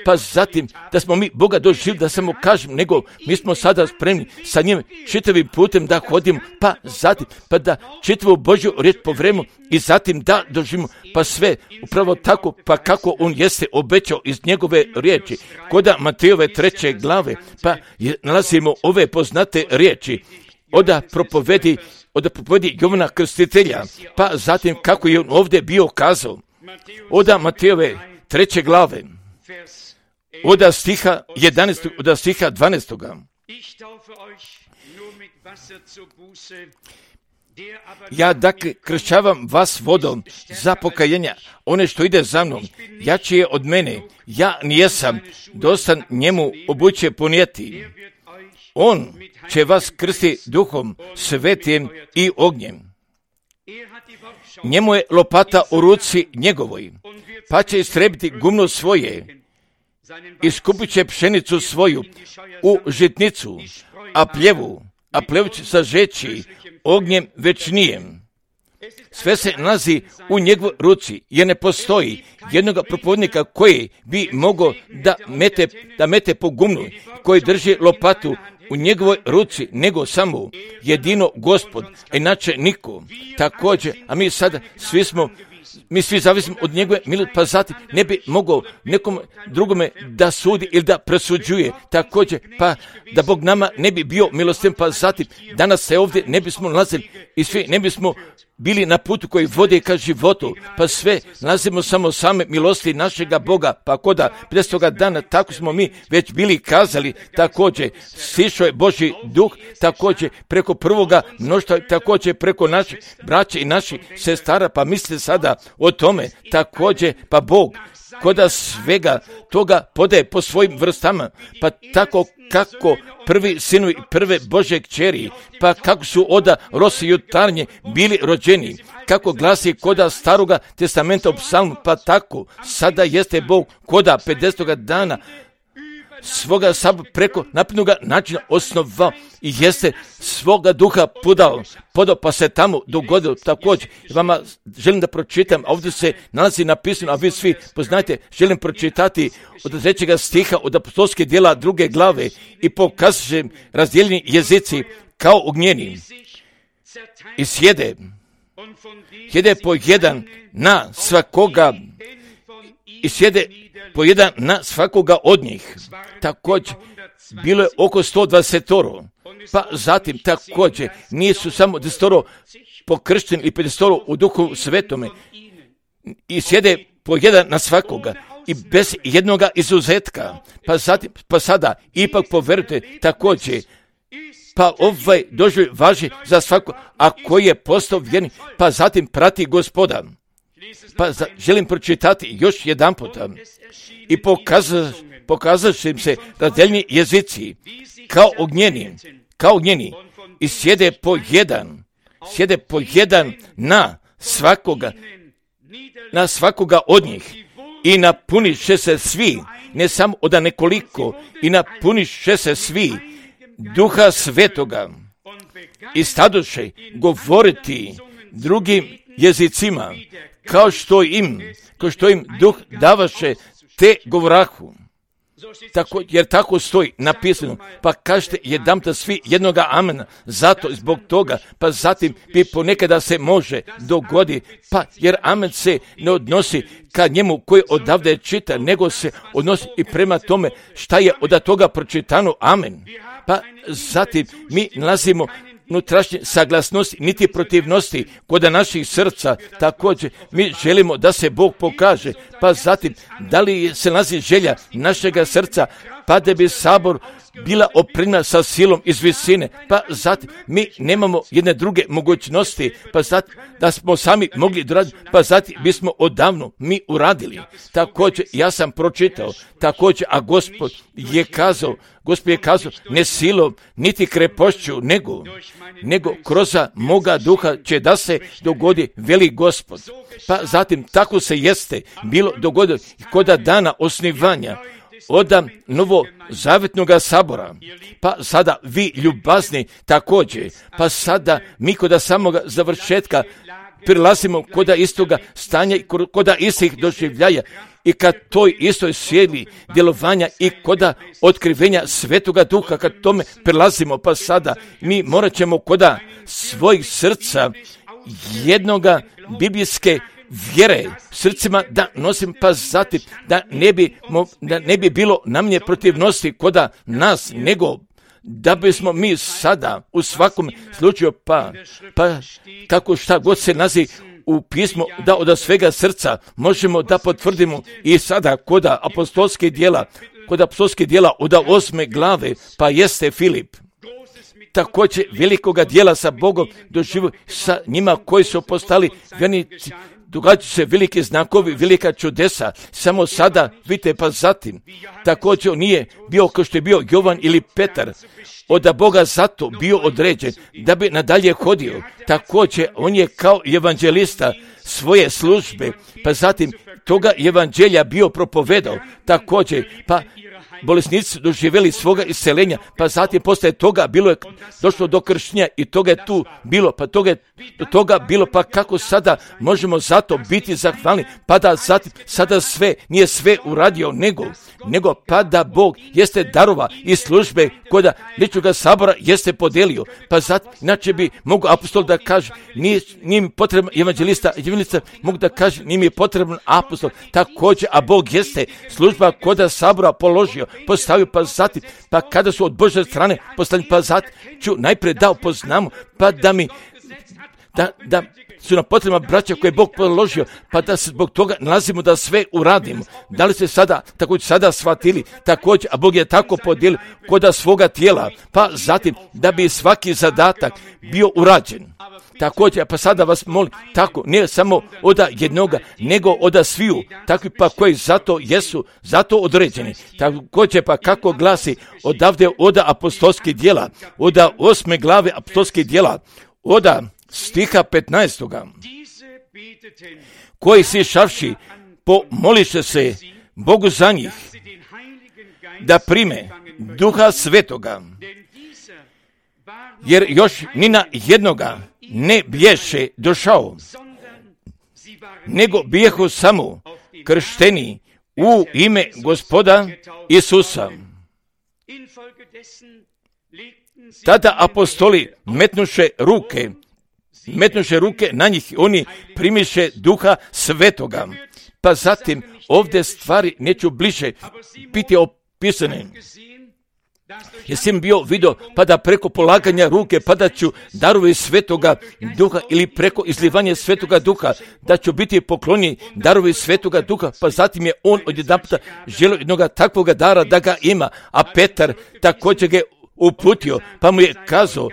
pa zatim da smo mi Boga doživili, da samo kažem, nego mi smo sada spremni sa njim čitavim putem da hodimo, pa zatim pa da čitavu Božju riječ po vremenu i zatim da doživimo, pa sve upravo tako, pa kako on jeste obećao iz njegove riječi. Koda Matejove treće glave, pa je, nalazimo ove poznate riječi, oda propovedi, oda propovedi Jovana Krstitelja, pa zatim kako je on ovdje bio kazao, oda Matejove treće glave, oda stiha jedanaestog, oda stiha dvanaestog. Ja dakle kršćavam vas vodom za pokajenja, one što ide za mnom, jači je od mene, ja nijesam dostan njemu obuće ponijeti. On će vas krsti duhom svetim i ognjem. Njemu je lopata u ruci njegovoj, pa će istrebiti gumno svoje, iskupit će pšenicu svoju u žitnicu, a pljevu, a pljevu će sažeći ognjem večnijem. Sve se nalazi u njegovoj ruci, jer ne postoji jednoga propovjednika koji bi mogao da mete, da mete po gumnu, koji drži lopatu u njegovoj ruci, nego samo jedino Gospod, a inače niko. Također, a mi sada svi smo, mi svi zavisimo od njegove milosti, pa zatim ne bi mogao nekom drugome da sudi ili da presuđuje. Također, pa da Bog nama ne bi bio milostiv, pa zatim danas se ovdje ne bismo nalazili i svi ne bismo bili na putu koji vode ka životu, pa sve nalazimo samo same milosti našega Boga, pa koda pedesetog dana tako smo mi već bili kazali. Također sišao je Božji duh, također preko prvoga mnoštva, također preko naših braća i naših sestara, pa misli sada o tome. Također pa Bog koda svega toga podaje po svojim vrstama, pa tako kako prvi sinu i prve Božje kćeri, pa kako su oda rosi jutarnje bili rođeni, kako glasi koda staroga testamenta u psalmu, pa tako sada jeste Bog koda pedesetog dana svoga sab preko naprednoga načina osnovao i jeste svoga duha podao, podao pa se tamo dogodilo. Također vama želim da pročitam, ovdje se nalazi napisano, a vi svi poznajte, želim pročitati od trećega stiha od apostolske djela druge glave i pokažem razdijeljeni jezici kao ognjeni i sjede, sjede po jedan na svakoga i sjede po jedan na svakoga od njih. Također, bilo je oko sto dvadesetoro, pa zatim također nisu samo desetoro pokršteni i pedesetoro u duhu svetome i sjede po jedan na svakoga i bez jednoga izuzetka. Pa zatim, pa sada ipak poverujte također, pa ovaj doživljaj važi za svako, a koji je postao vjernik, pa zatim prati Gospoda. Pa za, želim pročitati još jedan puta i pokazat, pokazat im se razdeljeni jezici kao ognjeni, kao ognjeni i sjede po jedan, sjede po jedan na svakoga, na svakoga od njih i napuniš će se svi, ne samo od nekoliko, i napuniš će se svi duha svetoga i stadoše govoriti drugim jezicima, kao što im, kao što im duh davaše te govorahu. Tako, jer tako stoji napisano, pa kažete jedanputa svi jednoga amena, zato zbog toga, pa zatim bi ponekada se može dogodi, pa jer amen se ne odnosi ka njemu koji odavde čita, nego se odnosi i prema tome šta je od toga pročitano, amen. Pa zatim mi nalazimo unutrašnje saglasnosti, niti protivnosti kod naših srca. Također mi želimo da se Bog pokaže, pa zatim da li se nalazi želja našega srca, pa da bi sabor bila opremljena sa silom iz visine, pa zatim mi nemamo jedne druge mogućnosti, pa zatim da smo sami mogli doraditi, pa zatim bismo odavno mi uradili. Također ja sam pročitao, također, a Gospod je kazao, Gospod je kazao, ne silom, niti krepošću, nego, nego kroz moga duha će da se dogodi, veli Gospod. Pa zatim tako se jeste bilo dogodilo kod dana osnivanja od novo zavetnoga sabora, pa sada vi ljubazni također, pa sada mi kod samoga završetka prilazimo kod istoga stanja i kod istih doživljaja i kad toj istoj sjeli djelovanja i kod otkrivenja svetoga duha, kad tome prilazimo, pa sada mi morat ćemo kod svojih srca jednoga biblijske vjere srcima da nosim, pa zatim da ne bi, da ne bi bilo namnje protivnosti koda nas, nego da bismo mi sada u svakom slučaju, pa, pa kako šta god se nazi u pismu, da od svega srca možemo da potvrdimo i sada koda apostolskih djela kod apostolskih djela od osme glave, pa jeste Filip. Također velikoga djela sa Bogom doživio sa njima koji su postali vjernici. Događaju se velike znakovi, velika čudesa, samo sada, vidite, pa zatim, također nije bio kao što je bio Jovan ili Petar, od Boga zato bio određen da bi nadalje hodio. Također, on je kao evanđelista svoje službe, pa zatim toga evanđelja bio propovedao, također, pa bolesnici su doživjeli svoga isceljenja, pa zatim poslije toga bilo je došlo do krštenja i toga je tu bilo, pa toga je do toga bilo, pa kako sada možemo zato biti zahvalni, pa da zatim sada sve, nije sve uradio, nego, nego pa da Bog jeste darova i službe koda ličnoga sabora jeste podelio, pa zatim, inače bi mogu apostol da kaže, nije, nije mi potreban evanđelista, evanđelista mogu da kaže, nije mi potreban apostol, također, a Bog jeste služba koda sabora položio, postavio, pa zatim, pa kada su od Božje strane postavljeni, pa zatim ću najprije dao poznamu, pa da mi, da, da su nam potrebna braća koje je Bog položio, pa da se zbog toga nalazimo da sve uradimo. Da li ste sada, također sada shvatili, također, a Bog je tako podijelio koda svoga tijela, pa zatim da bi svaki zadatak bio urađen. Također, pa sada vas molim, tako, ne samo od jednoga, nego od sviju, takvi pa koji zato jesu, zato određeni. Također, pa kako glasi odavde od apostolskih djela, od osme glave apostolskih djela, od stiha petnaestoga, koji si šavši, pomoliše se Bogu za njih, da prime Duha Svetoga, jer još ni na jednoga ne biješe došao, nego bijehu samo kršteni u ime Gospoda Isusa. Tada apostoli metnuše ruke, metnuše ruke na njih, oni primiše Duha Svetoga. Pa zatim ovdje stvari neću bliže biti opisane. Jesam bio vidio, pa da preko polaganja ruke padaću darovi Svetoga Duha ili preko izlivanja Svetoga Duha, da ću biti poklonjen darovi Svetoga Duha, pa zatim je on odjedanputa želio jednoga takvoga dara da ga ima, a Petar također ga uputio, pa mu je kazao,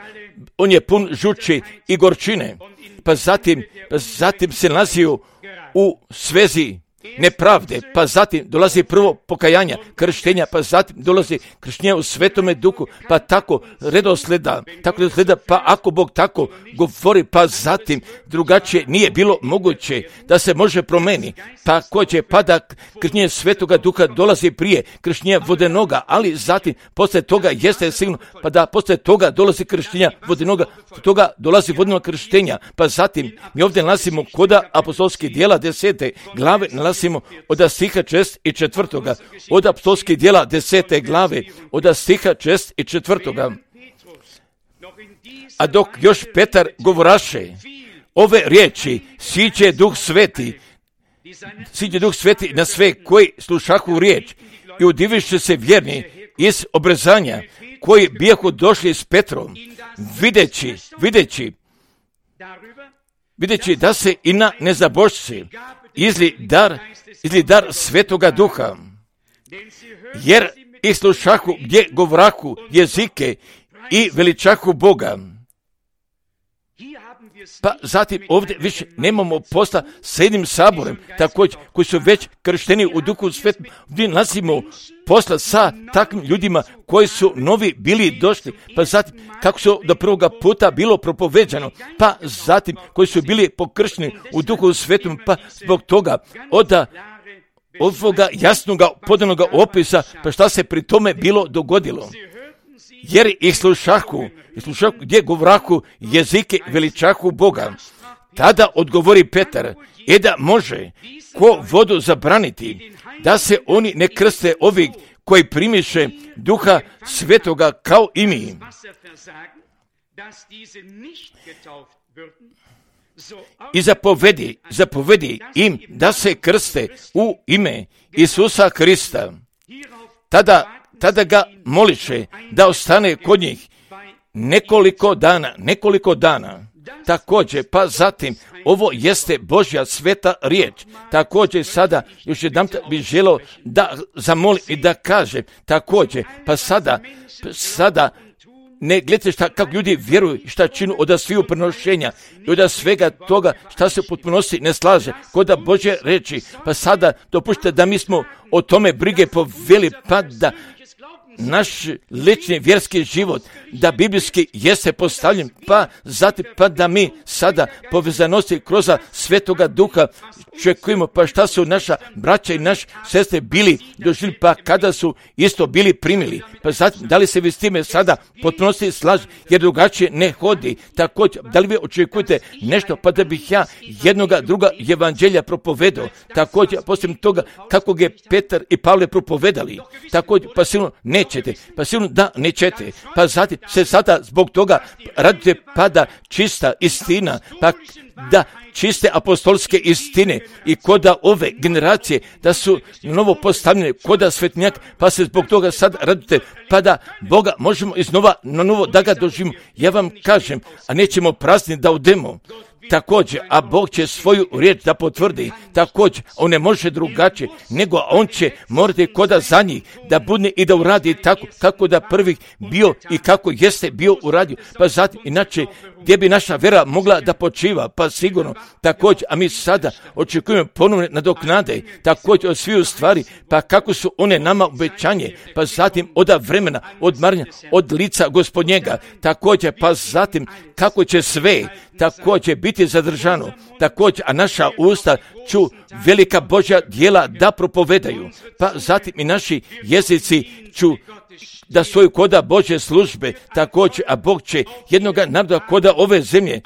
on je pun žuči i gorčine, pa zatim, pa zatim se nalazio u svezi nepravde, pa zatim dolazi prvo pokajanja, krštenja, pa zatim dolazi krštenja u Svetome Duhu, pa tako redosleda, tako redosleda, pa ako Bog tako govori, pa zatim drugačije nije bilo moguće da se može promeni, pa ko će, pa da krštenje Svetoga Duha dolazi prije krštenja vodenoga, ali zatim posle toga jeste sigurno, pa da posle toga dolazi krštenja vodenoga, toga dolazi vodenog krštenja, pa zatim mi ovdje nalazimo koda apostolskih djela desete glave, nalazimo od stiha šest i četvrtoga, od apostolskih djela desete glave, od stiha šest i četvrtoga. A dok još Petar govoraše ove riječi, siđe Duh Sveti, siđe Duh Sveti na sve koji slušahu riječ i udiviše se vjerni iz obrezanja koji bijahu došli s Petrom, videći, videći, videći da se i na nezabošci izli dar, izli dar Svetoga Duha, jer i slušahu gdje govorahu jezike i veličahu Boga. Pa zatim ovdje više nemamo posla s jednim saborem, također koji su već kršteni u Duhu Svetom, gdje nalazimo posla sa takvim ljudima koji su novi bili došli, pa zatim kako su do prvoga puta bilo propoveđano, pa zatim koji su bili pokršteni u Duhu Svetom, pa zbog toga od ovoga jasnoga podanoga opisa, pa šta se pri tome bilo dogodilo. Jer ih slušahu, i slušahu gdje govorahu jezike veličahu Boga. Tada odgovori Petar, e da može ko vodu zabraniti, da se oni ne krste ovih koji primiše Duha Svetoga kao i mi. I zapovedi, zapovedi im da se krste u ime Isusa Krista. Tada Tada ga moliše da ostane kod njih nekoliko dana, nekoliko dana. Također, pa zatim, ovo jeste Božja sveta riječ. Također, sada još jedan bih želio da zamolim i da kažem, također, pa sada, sada, ne gledajte šta, kako ljudi vjeruju, šta činu od sviju prenošenja i od svega toga šta se potpunosti ne slaže, kod da Božje reči, pa sada dopušte da mi smo o tome brige poveli, pa da naš lični vjerski život, da biblijski jeste postavljen, pa zatim pa da mi sada povezanosti kroz Svetoga Duha čekujemo, pa šta su naša braća i naš sestre bili doživjeli, pa kada su isto bili primili, pa zatim da li se vi s time sada potpunosti slaže, jer drugačije ne hodi. Također, da li vi očekujete nešto, pa da bih ja jednoga druga evanđelja propovedao, također, poslije toga kako je Petar i Pavle propovedali, također, pa sigurno nećete, pa sigurno da nećete, pa zatim se sada zbog toga radite, pa da čista istina, pa da čiste apostolske istine i koda ove generacije da su novo postavljene koda svetnjak, pa se zbog toga sad radite, pa da Boga možemo iznova na novo da ga doživimo. Ja vam kažem, a nećemo prazni da odemo. Također, a Bog će svoju riječ da potvrdi, također, on ne može drugačije, nego on će morati koda za njih da budne i da uradi tako kako da prvih bio i kako jeste bio uradio, pa zatim, inače, gdje bi naša vera mogla da počiva, pa sigurno, također, a mi sada očekujemo ponovne nadoknade, također od sviju stvari, pa kako su one nama obećanje, pa zatim od vremena, od marnja, od lica Gospodnjega, također, pa zatim kako će sve, također biti zadržano, također, a naša usta ću velika Božja djela da propovedaju, pa zatim i naši jezici ću da svoju koda Božje službe, također, a Bog će jednoga naroda koda ove zemlje,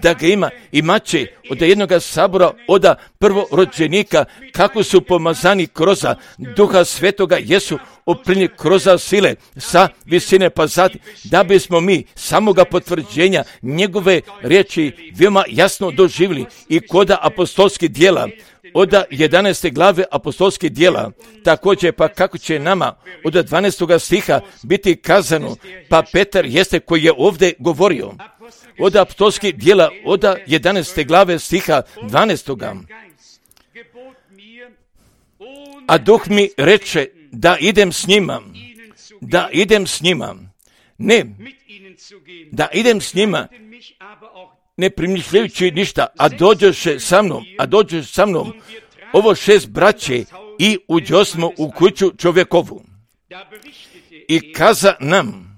da ga ima, imat će od jednoga sabora, od prvorođenika, kako su pomazani kroz Duha Svetoga, jesu oprinjeni kroz sile sa visine, pa zatim, da bismo mi samoga potvrđenja njegove riječi veoma jasno doživjeli i koda apostolskih djela, od jedanaeste glave apostolskih djela, također pa kako će nama od dvanaestog stiha biti kazano, pa Petar jeste koji je ovdje govorio, od apostolskih djela, od jedanaeste glave stiha dvanaestog. A Duh mi reče da idem s njima, da idem s njima, ne, da idem s njima, ne primišljajući ništa, a dođoše sa mnom, a dođoše sa mnom, ovo šest braće i uđosmo u kuću čovjekovu. I kaza nam,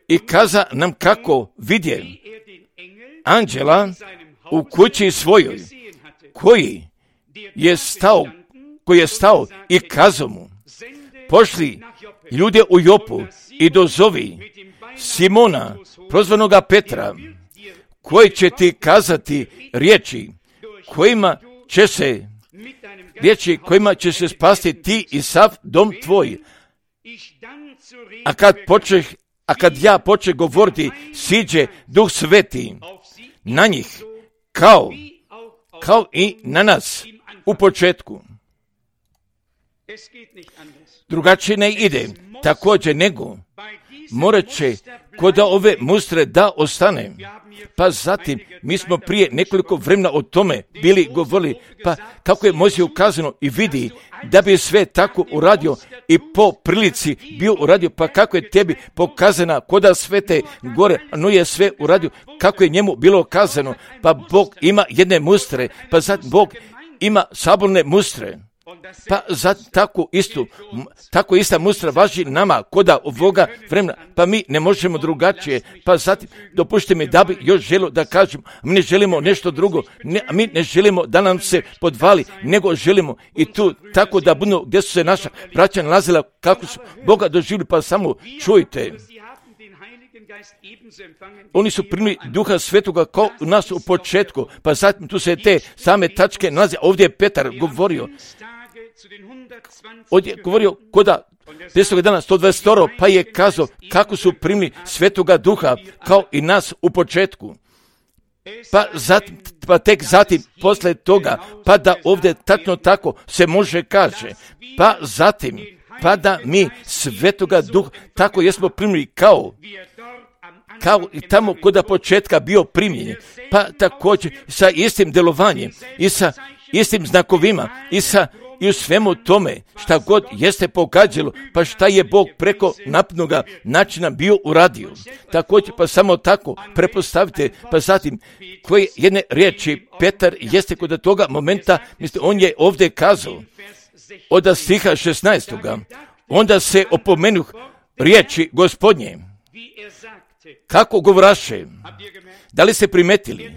i kaza nam kako vidje anđela u kući svojoj, koji je stao, koji je stao i kazao mu, pošli ljude u Jopu i dozovi Simona, prozvanoga Petra, koji će ti kazati riječi kojima će se riječi kojima će se spasti ti i sav dom tvoj. A kad počeh, a kad ja počeh govoriti, siđe Duh Sveti na njih, kao, kao i na nas u početku. Drugačije ne ide, također nego morat će kod ove mustre da ostane. Pa zatim, mi smo prije nekoliko vremena o tome bili govorili, pa kako je Mojsije ukazano i vidi da bi sve tako uradio i po prilici bio uradio, pa kako je tebi pokazana koda svete gore, no je sve uradio kako je njemu bilo kazano, pa Bog ima jedne mustre, pa zatim Bog ima saborne mustre. Pa za tako istu, tako ista mustra važi nama koda ovoga vremena, pa mi ne možemo drugačije, pa zatim dopušite mi da bi još želio da kažem, mi ne želimo nešto drugo, ne, mi ne želimo da nam se podvali, nego želimo i tu tako da budemo gdje su se naša braća nalazila, kako su Boga doživjeli, pa samo čujte. Oni su primili Duha Svetoga kao u nas u početku, pa zatim tu se te same tačke nalaze. Ovdje je Petar govorio, ovdje je govorio koda desetog dana sto dvadeset, pa je kazao kako su primili Svetoga Duha kao i nas u početku. Pa, zatim, pa tek zatim, posle toga, pa da ovdje tačno tako se može kaže, pa zatim, pa da mi Svetoga Duha tako jesmo primili kao kao i tamo kod početka bio primljen, pa također sa istim djelovanjem i sa istim znakovima i sa i u svemu tome šta god jeste pogađalo, pa šta je Bog preko napnoga načina bio uradio. Također pa samo tako prepostavite, pa zatim koje jedne riječi Petar jeste kod toga momenta, mislim, on je ovdje kazao od stiha šesnaestoga, onda se opomenuh riječi Gospodnje. Kako govraše? Da li se primetili?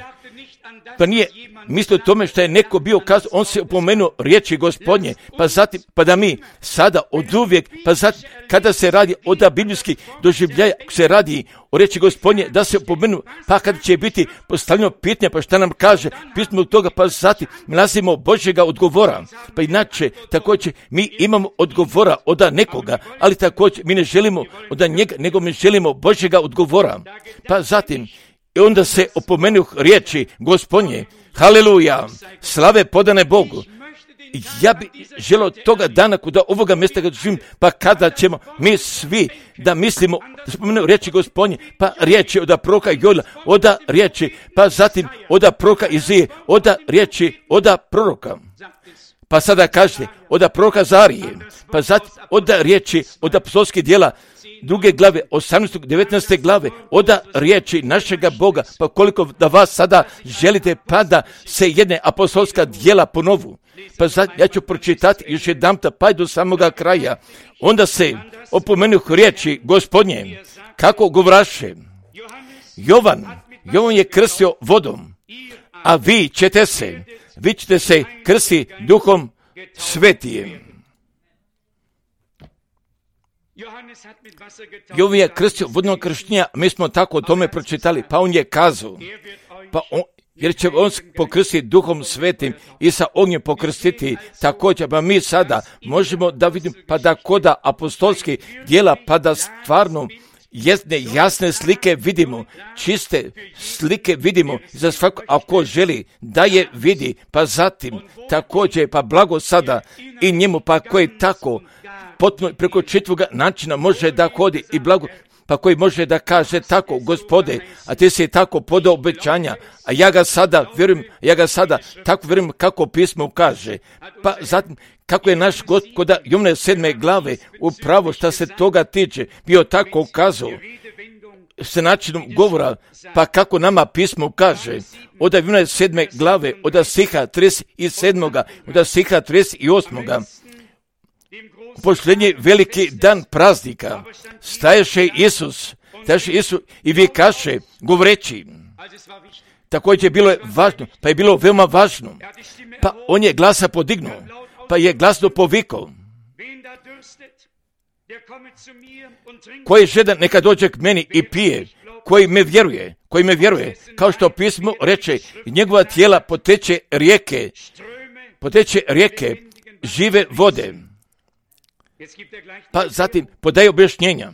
Pa nije mislio tome što je neko bio kazao, on se opomenuo riječi Gospodnje, pa zatim, pa da mi sada od uvijek, pa zatim kada se radi o da biblijski doživljaja, se radi o riječi Gospodnje, da se opomenu, pa kada će biti postavljeno pitanje, pa šta nam kaže pismo od toga, pa zatim nalazimo Božjega odgovora. Pa inače, također mi imamo odgovora od nekoga, ali također mi ne želimo od njega, nego mi želimo Božjega odgovora. Pa zatim, i onda se opomenuh riječi Gospodnje, haleluja, slave podane Bogu. Ja bi želio toga dana kuda ovoga mjesta kad živim, pa kada ćemo mi svi da mislimo, da spomenu riječi Gospodnje, pa riječi od proroka Joela, od riječi, pa zatim od proroka Izije, od riječi od proroka. Pa sada kažete, od proroka Zarije, pa zatim od riječi od apostolskih djela, druge glave, osamnaeste, devetnaeste glave, od riječi našega Boga, pa koliko da vas sada želite, pa da se jedne apostolska djela ponovu. Pa sad ja ću pročitati još jedan pa do samoga kraja. Onda se opomenuh riječi Gospodnje, kako govraše. Jovan, Jovan je krstio vodom, a vi ćete se, vi ćete se krsti Duhom Svetijem. Jovan je krstio vodnog krštenja, mi smo tako o tome pročitali, pa on je kazao, pa on, jer će on pokrstiti Duhom Svetim i sa ognjem pokrstiti također, pa mi sada možemo da vidimo, pa da koda apostolskih djela, pa da stvarno jedne jasne slike vidimo, čiste slike vidimo za svako, ako želi da je vidi, pa zatim također, pa blago sada i njemu, pa koji tako potpuno preko čitvoga načina može da hodi i blago, pa koji može da kaže tako, Gospode, a ti si tako podao obećanja, a ja ga sada vjerujem, ja ga sada tako vjerujem kako pismo kaže. Pa zatim, kako je naš Gospod Jovane sedme glave upravo što se toga tiče bio tako kazao s načinom govora, pa kako nama pismo kaže od Jovane sedme glave, od stiha trideset sedam, od stiha trideset osam. Posljednji veliki dan praznika staješe Isus, staješe Isus i vikaše govoreći. Također bilo je važno, pa je bilo veoma važno, pa on je glasa podignuo, pa je glasno povikao. Koji žedan neka dođe k meni i pije, koji me vjeruje, koji me vjeruje, kao što pismo reče, njegova tijela poteče rijeke, poteče rijeke žive vode. Pa zatim podaje objašnjenja.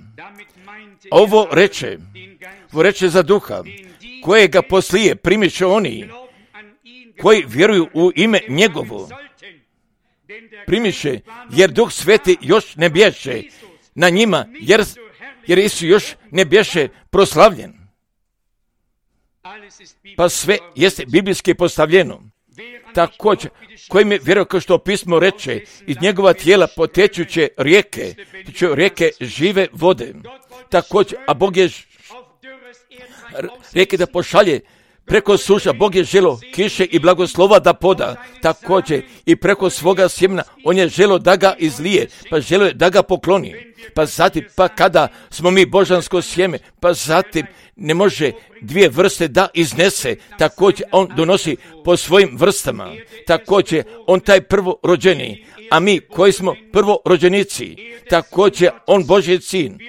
Ovo reče, ovo reče za duha, kojega poslije primiše oni, koji vjeruju u ime njegovo. Primiše, jer Duh Sveti još ne bješe na njima, jer, jer Isus još ne bješe proslavljen. Pa sve jeste biblijski postavljeno. Također, kojim je vjerovao, kao što pismo reče, iz njegova tijela potečuće rijeke, rijeke žive vode. Također, a Bog je rijeke da pošalje preko suša, Bog je želo kiše i blagoslova da poda. Također, i preko svoga sjemena, on je želo da ga izlije, pa želo je da ga pokloni. Pa zatim, pa kada smo mi božansko sjeme, pa zatim ne može dvije vrste da iznese, također on donosi po svojim vrstama, također on taj prvorođeni, a mi koji smo prvorođenici, također on Božji sin,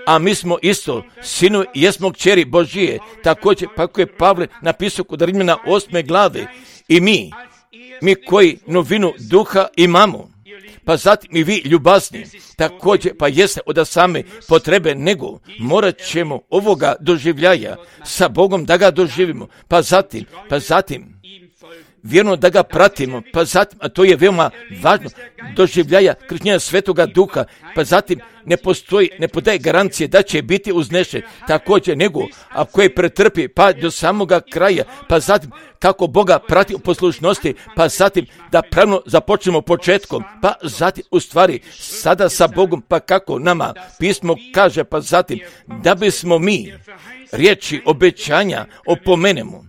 a mi smo isto sinu i jesmo kćeri Božije, također pa kako je Pavle napisao kod Rimljana osme glave, i mi, mi koji novinu duha imamo, pa zatim i vi ljubazni, također pa jeste od same potrebe, nego morat ćemo ovoga doživljaja sa Bogom da ga doživimo, pa zatim, pa zatim vjerno da ga pratimo, pa zatim, a to je veoma važno, doživljaja krštenja Svetoga Duha, pa zatim ne postoji, ne podaje garancije da će biti uznešen, također nego ako je pretrpi pa do samoga kraja, pa zatim kako Boga prati u poslušnosti, pa zatim da pravno započnemo početkom, pa zatim u stvari sada sa Bogom, pa kako nama pismo kaže, pa zatim da bismo mi riječi obećanja opomenemo,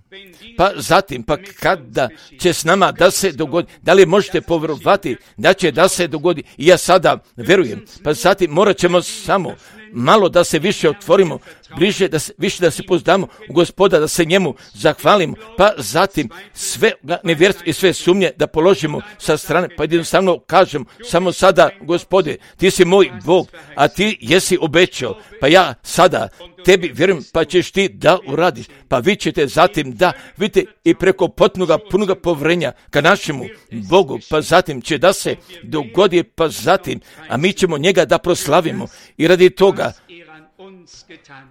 pa zatim pa kada će s nama da se dogodi, da li možete povjerovati da će da se dogodi, i ja sada verujem, pa zatim morat ćemo samo malo da se više otvorimo, bliže da se, više da se pozdamo u Gospoda, da se njemu zahvalimo, pa zatim sve nevjerstvo i sve sumnje da položimo sa strane, pa jednostavno kažem samo sada, Gospode, ti si moj Bog, a ti jesi obećao, pa ja sada tebi vjerujem, pa ćeš ti da uradiš, pa vi ćete zatim da vidite i preko potpunoga punoga povjerenja ka našemu Bogu, pa zatim će da se dogodi, pa zatim, a mi ćemo njega da proslavimo i radi toga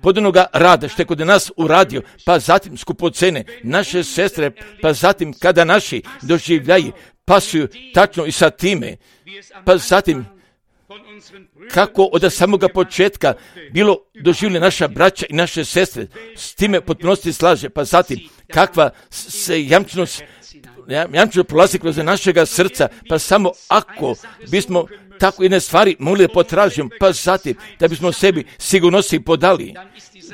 pod onoga rada što je kod nas uradio, pa zatim skupocene naše sestre, pa zatim kada naši doživljaji pasuju tačno i sa time, pa zatim kako od samoga početka bilo doživljena naša braća i naše sestre, s time potpunosti slaže, pa zatim kakva se jamčnost jamčeno prolazi kroz našega srca, pa samo ako bismo tako jedne stvari mogli potražiti, pa zatim da bismo sebi sigurnosti podali,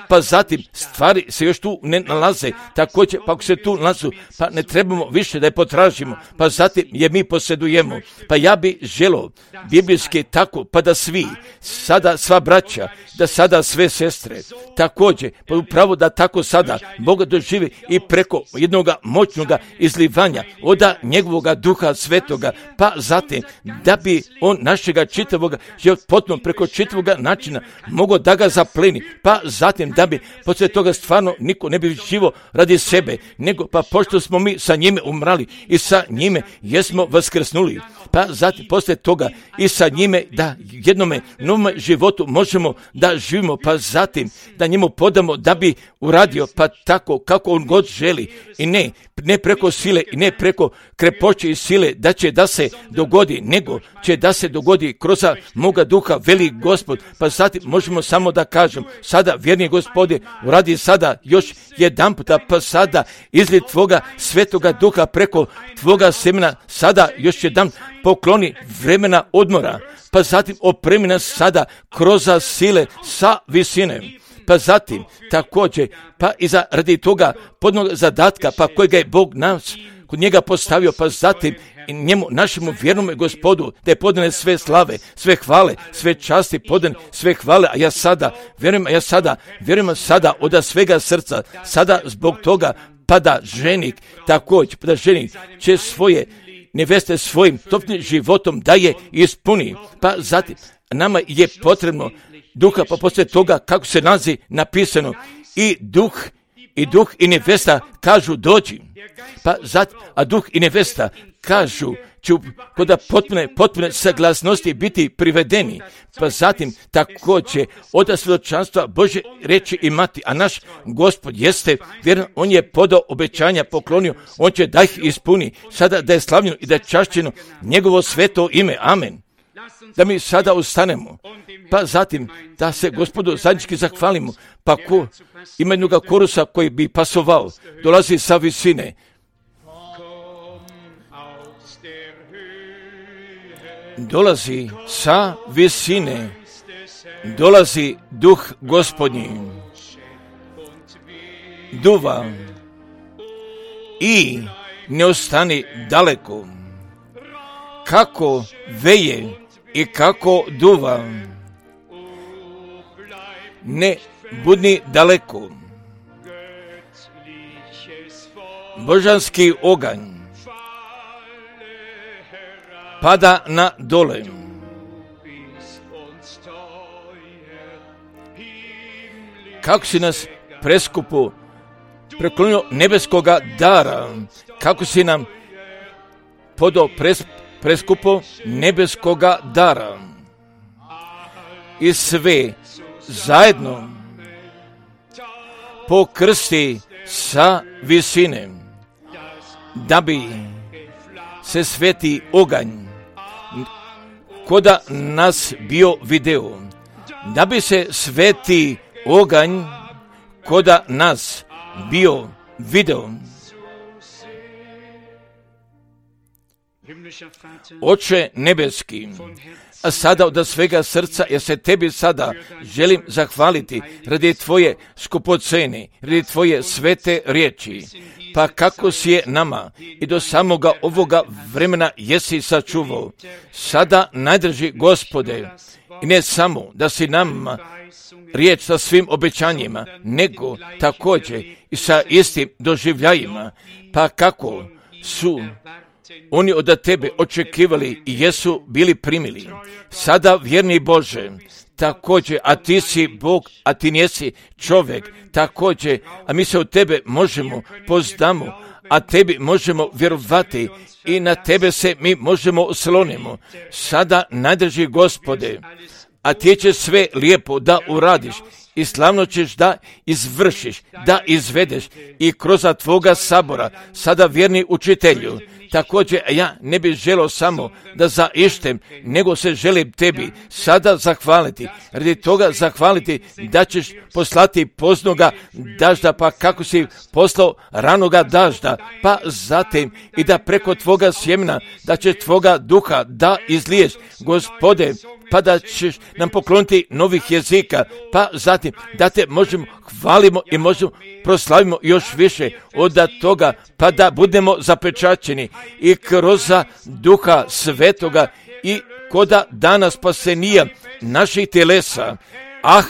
pa zatim stvari se još tu ne nalaze, također pa ako se tu nalazu, pa ne trebamo više da je potražimo, pa zatim je mi posjedujemo. Pa ja bi želio biblijski tako, pa da svi, sada sva braća, da sada sve sestre, također, pa upravo da tako sada Boga doživi i preko jednoga moćnoga izlivanja oda njegovoga duha svetoga, pa zatim da bi on našega čitavoga život potpuno preko čitavoga načina mogao da ga zapleni, pa zatim da bi poslije toga stvarno niko ne bi živo radi sebe, nego pa pošto smo mi sa njime umrali i sa njime jesmo vaskrsnuli, pa zatim poslije toga i sa njime da jednome novom životu možemo da živimo, pa zatim da njemu podamo da bi uradio pa tako kako on god želi i ne, ne preko sile i ne preko krepoće i sile da će da se dogodi, nego će da se dogodi kroz moga duha veli Gospod, pa zatim možemo samo da kažem sada vjerni Gospode uradi sada još jedan puta, pa sada izli tvoga svetoga duha preko tvoga semena, sada još jedan pokloni vremena odmora, pa zatim opremi nas sada kroz sile sa visine, pa zatim također pa i za radi toga podnog zadatka pa kojega je Bog nas kod njega postavio, pa zatim i njemu, našemu vjernome Gospodu, da je podane sve slave, sve hvale, sve časti, podan sve hvale, a ja sada, vjerujem, a ja sada, vjerujem sada od svega srca, sada zbog toga, pa da ženik, također, pa da ženik će svoje neveste svojim topnim životom da je ispuni, pa zatim, nama je potrebno duha, pa poslije toga, kako se nalazi napisano, i duh, i duh i nevesta kažu dođi, pa zatim, a duh i nevesta kažu će kod potpune, potpune saglasnosti biti privedeni, pa zatim također od svjedočanstva Božje reći imati, a naš Gospod jeste vjeran, on je podao obećanja, poklonio, on će da ih ispuni, sada da je slavljeno i da je čašćeno njegovo sveto ime, amen. Da mi sada ustanemo, pa zatim da se Gospodu zajednički zahvalimo, pa ko ima jednoga korusa koji bi pasovao, dolazi sa visine. Dolazi sa visine, dolazi duh Gospodnji, duva i ne ostani daleko, kako veje i kako duva, ne budni daleko. Božanski oganj pada na dole. Kako si nas preskupo preklonio nebeskoga dara, kako si nam podao pres, preskupo nebeskoga dara i sve zajedno pokrsti sa visine, da bi se sveti oganj koda nas bio video, da bi se sveti oganj koda nas bio video. Oče nebeski, a sada od svega srca, ja se tebi sada želim zahvaliti radi tvoje skupocene, radi tvoje svete riječi, pa kako si je nama i do samoga ovoga vremena jesi sačuvao. Sada najdrži Gospode, i ne samo da si nama riječ sa svim obećanjima, nego također i sa istim doživljajima, pa kako su oni od tebe očekivali i jesu bili primili. Sada, vjerni Bože, također, a ti si Bog, a ti nisi čovjek, također, a mi se od tebe možemo poznamo, a tebi možemo vjerovati i na tebe se mi možemo oslonimo. Sada najdrži Gospode, a ti će sve lijepo da uradiš i slavno ćeš da izvršiš, da izvedeš i kroz tvoga sabora, sada vjerni učitelju. Također, ja ne bih želio samo da zaištem, nego se želim tebi sada zahvaliti. Radi toga zahvaliti da ćeš poslati poznoga dažda, pa kako si poslao ranoga dažda, pa zatim i da preko tvoga sjemena, da će tvoga duha da izliješ, Gospode, pa da ćeš nam pokloniti novih jezika, pa zatim da te možemo hvalimo i možemo proslavimo još više od toga, pa da budemo zapečaćeni i kroz duha svetoga i koda dana spasenija naših telesa. Ah,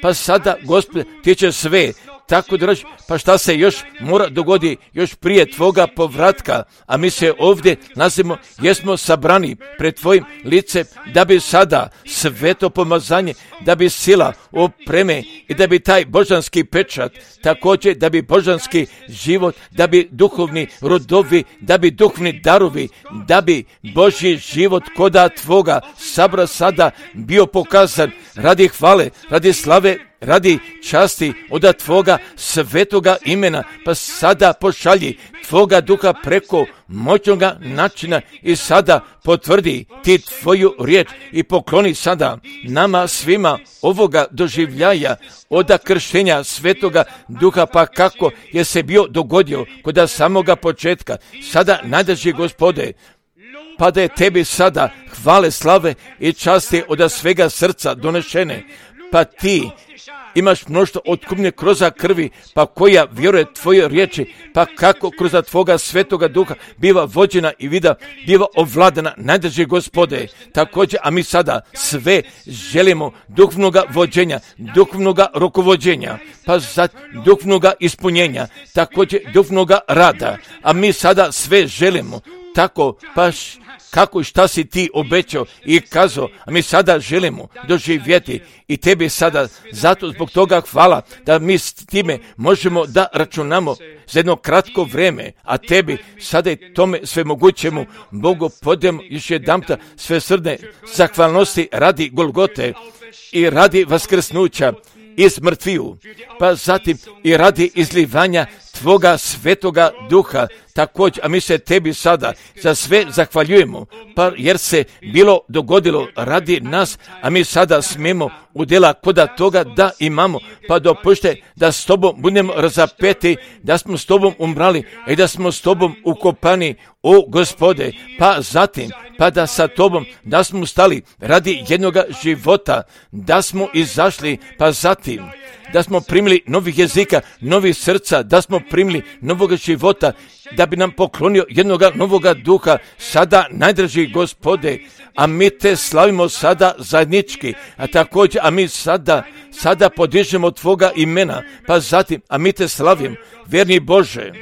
pa sada, Gospode, ti će sve tako da reći, pa šta se još mora dogodi još prije tvoga povratka, a mi se ovdje nalazimo, jesmo sabrani pred tvojim licem, da bi sada sveto pomazanje, da bi sila opreme i da bi taj božanski pečat, također da bi božanski život, da bi duhovni rodovi, da bi duhovni darovi, da bi Božji život koda tvoga sabra sada bio pokazan radi hvale, radi slave, radi časti od tvoga svetoga imena, pa sada pošalji tvoga duha preko moćnoga načina i sada potvrdi ti tvoju riječ i pokloni sada nama svima ovoga doživljaja od krštenja svetoga duha, pa kako je se bio dogodio kod samoga početka. Sada najdrži Gospode, pa da je tebi sada hvale, slave i časti od svega srca donešene, pa ti imaš mnoštvo otkupnje kroz krvi, pa koja vjeruje tvoje riječi, pa kako kroz tvoga svetoga duha biva vođena i vida biva ovladana, najdrži Gospode. Također, a mi sada sve želimo duhovnoga vođenja, duhovnoga rukovođenja, pa za duhovnoga ispunjenja, također duhovnoga rada, a mi sada sve želimo tako, pa kako i šta si ti obećao i kazao, a mi sada želimo doživjeti i tebi sada, zato zbog toga hvala da mi s time možemo da računamo za jedno kratko vrijeme, a tebi sada i tome sve mogućemu Bogu podijemo još jedanputa sve srdne zahvalnosti radi Golgote i radi vaskrsnuća iz mrtviju, pa zatim i radi izlivanja tvoga svetoga duha, također, a mi se tebi sada za sve zahvaljujemo, pa jer se bilo dogodilo radi nas, a mi sada smijemo udjela koda toga da imamo, pa dopušte da s tobom budemo razapeti, da smo s tobom umrali i da smo s tobom ukopani, o Gospode, pa zatim, pa da sa tobom, da smo stali radi jednoga života, da smo izašli, pa zatim, da smo primili novih jezika, novih srca, da smo primili novoga života, da bi nam poklonio jednoga novoga duha, sada najdrži Gospode, a mi te slavimo sada zajednički, a također, a mi sada, sada podižemo tvoga imena, pa zatim, a mi te slavim, vjerni Bože,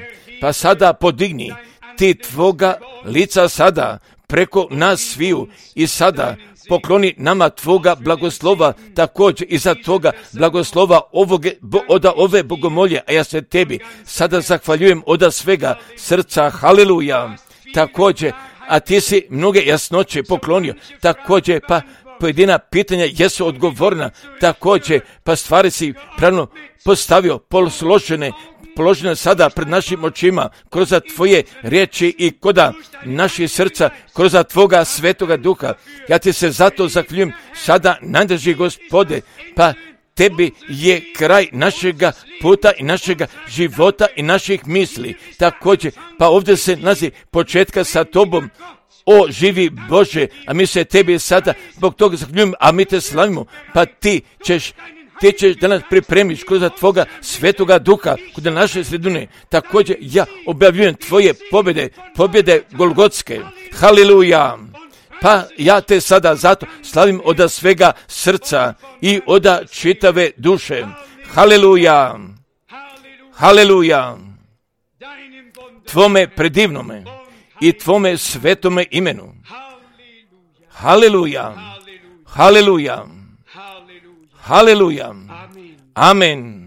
pa sada podigni ti tvoga lica sada, preko nas sviju i sada pokloni nama tvoga blagoslova, također i za toga blagoslova ovoge, od ove bogomolje, a ja se tebi sada zahvaljujem od svega srca, haleluja, također, a ti si mnoge jasnoće poklonio, također, pa pojedina pitanja jesu odgovorna, također, pa stvari si pravno postavio, posložene, položene sada pred našim očima, kroz tvoje riječi i koda naših srca, kroz tvoga svetoga duha. Ja ti se zato zahvaljujem sada, najdraži Gospode, pa tebi je kraj našega puta i našega života i naših misli. Također, pa ovdje se nalazi početka sa tobom, o živi Bože, a mi se tebi sada zbog toga zahvaljujem, a mi te slavimo, pa ti ćeš Ti ćeš da nas pripremiš kroz tvoga svetoga duha, kod naše sredine. Također ja objavljujem tvoje pobjede, pobjede Golgotske. Haleluja! Pa ja te sada zato slavim od svega srca i od čitave duše. Haleluja! Haleluja! Tvome predivnome i tvome svetome imenu. Haleluja! Haleluja! Haleluja. Amen.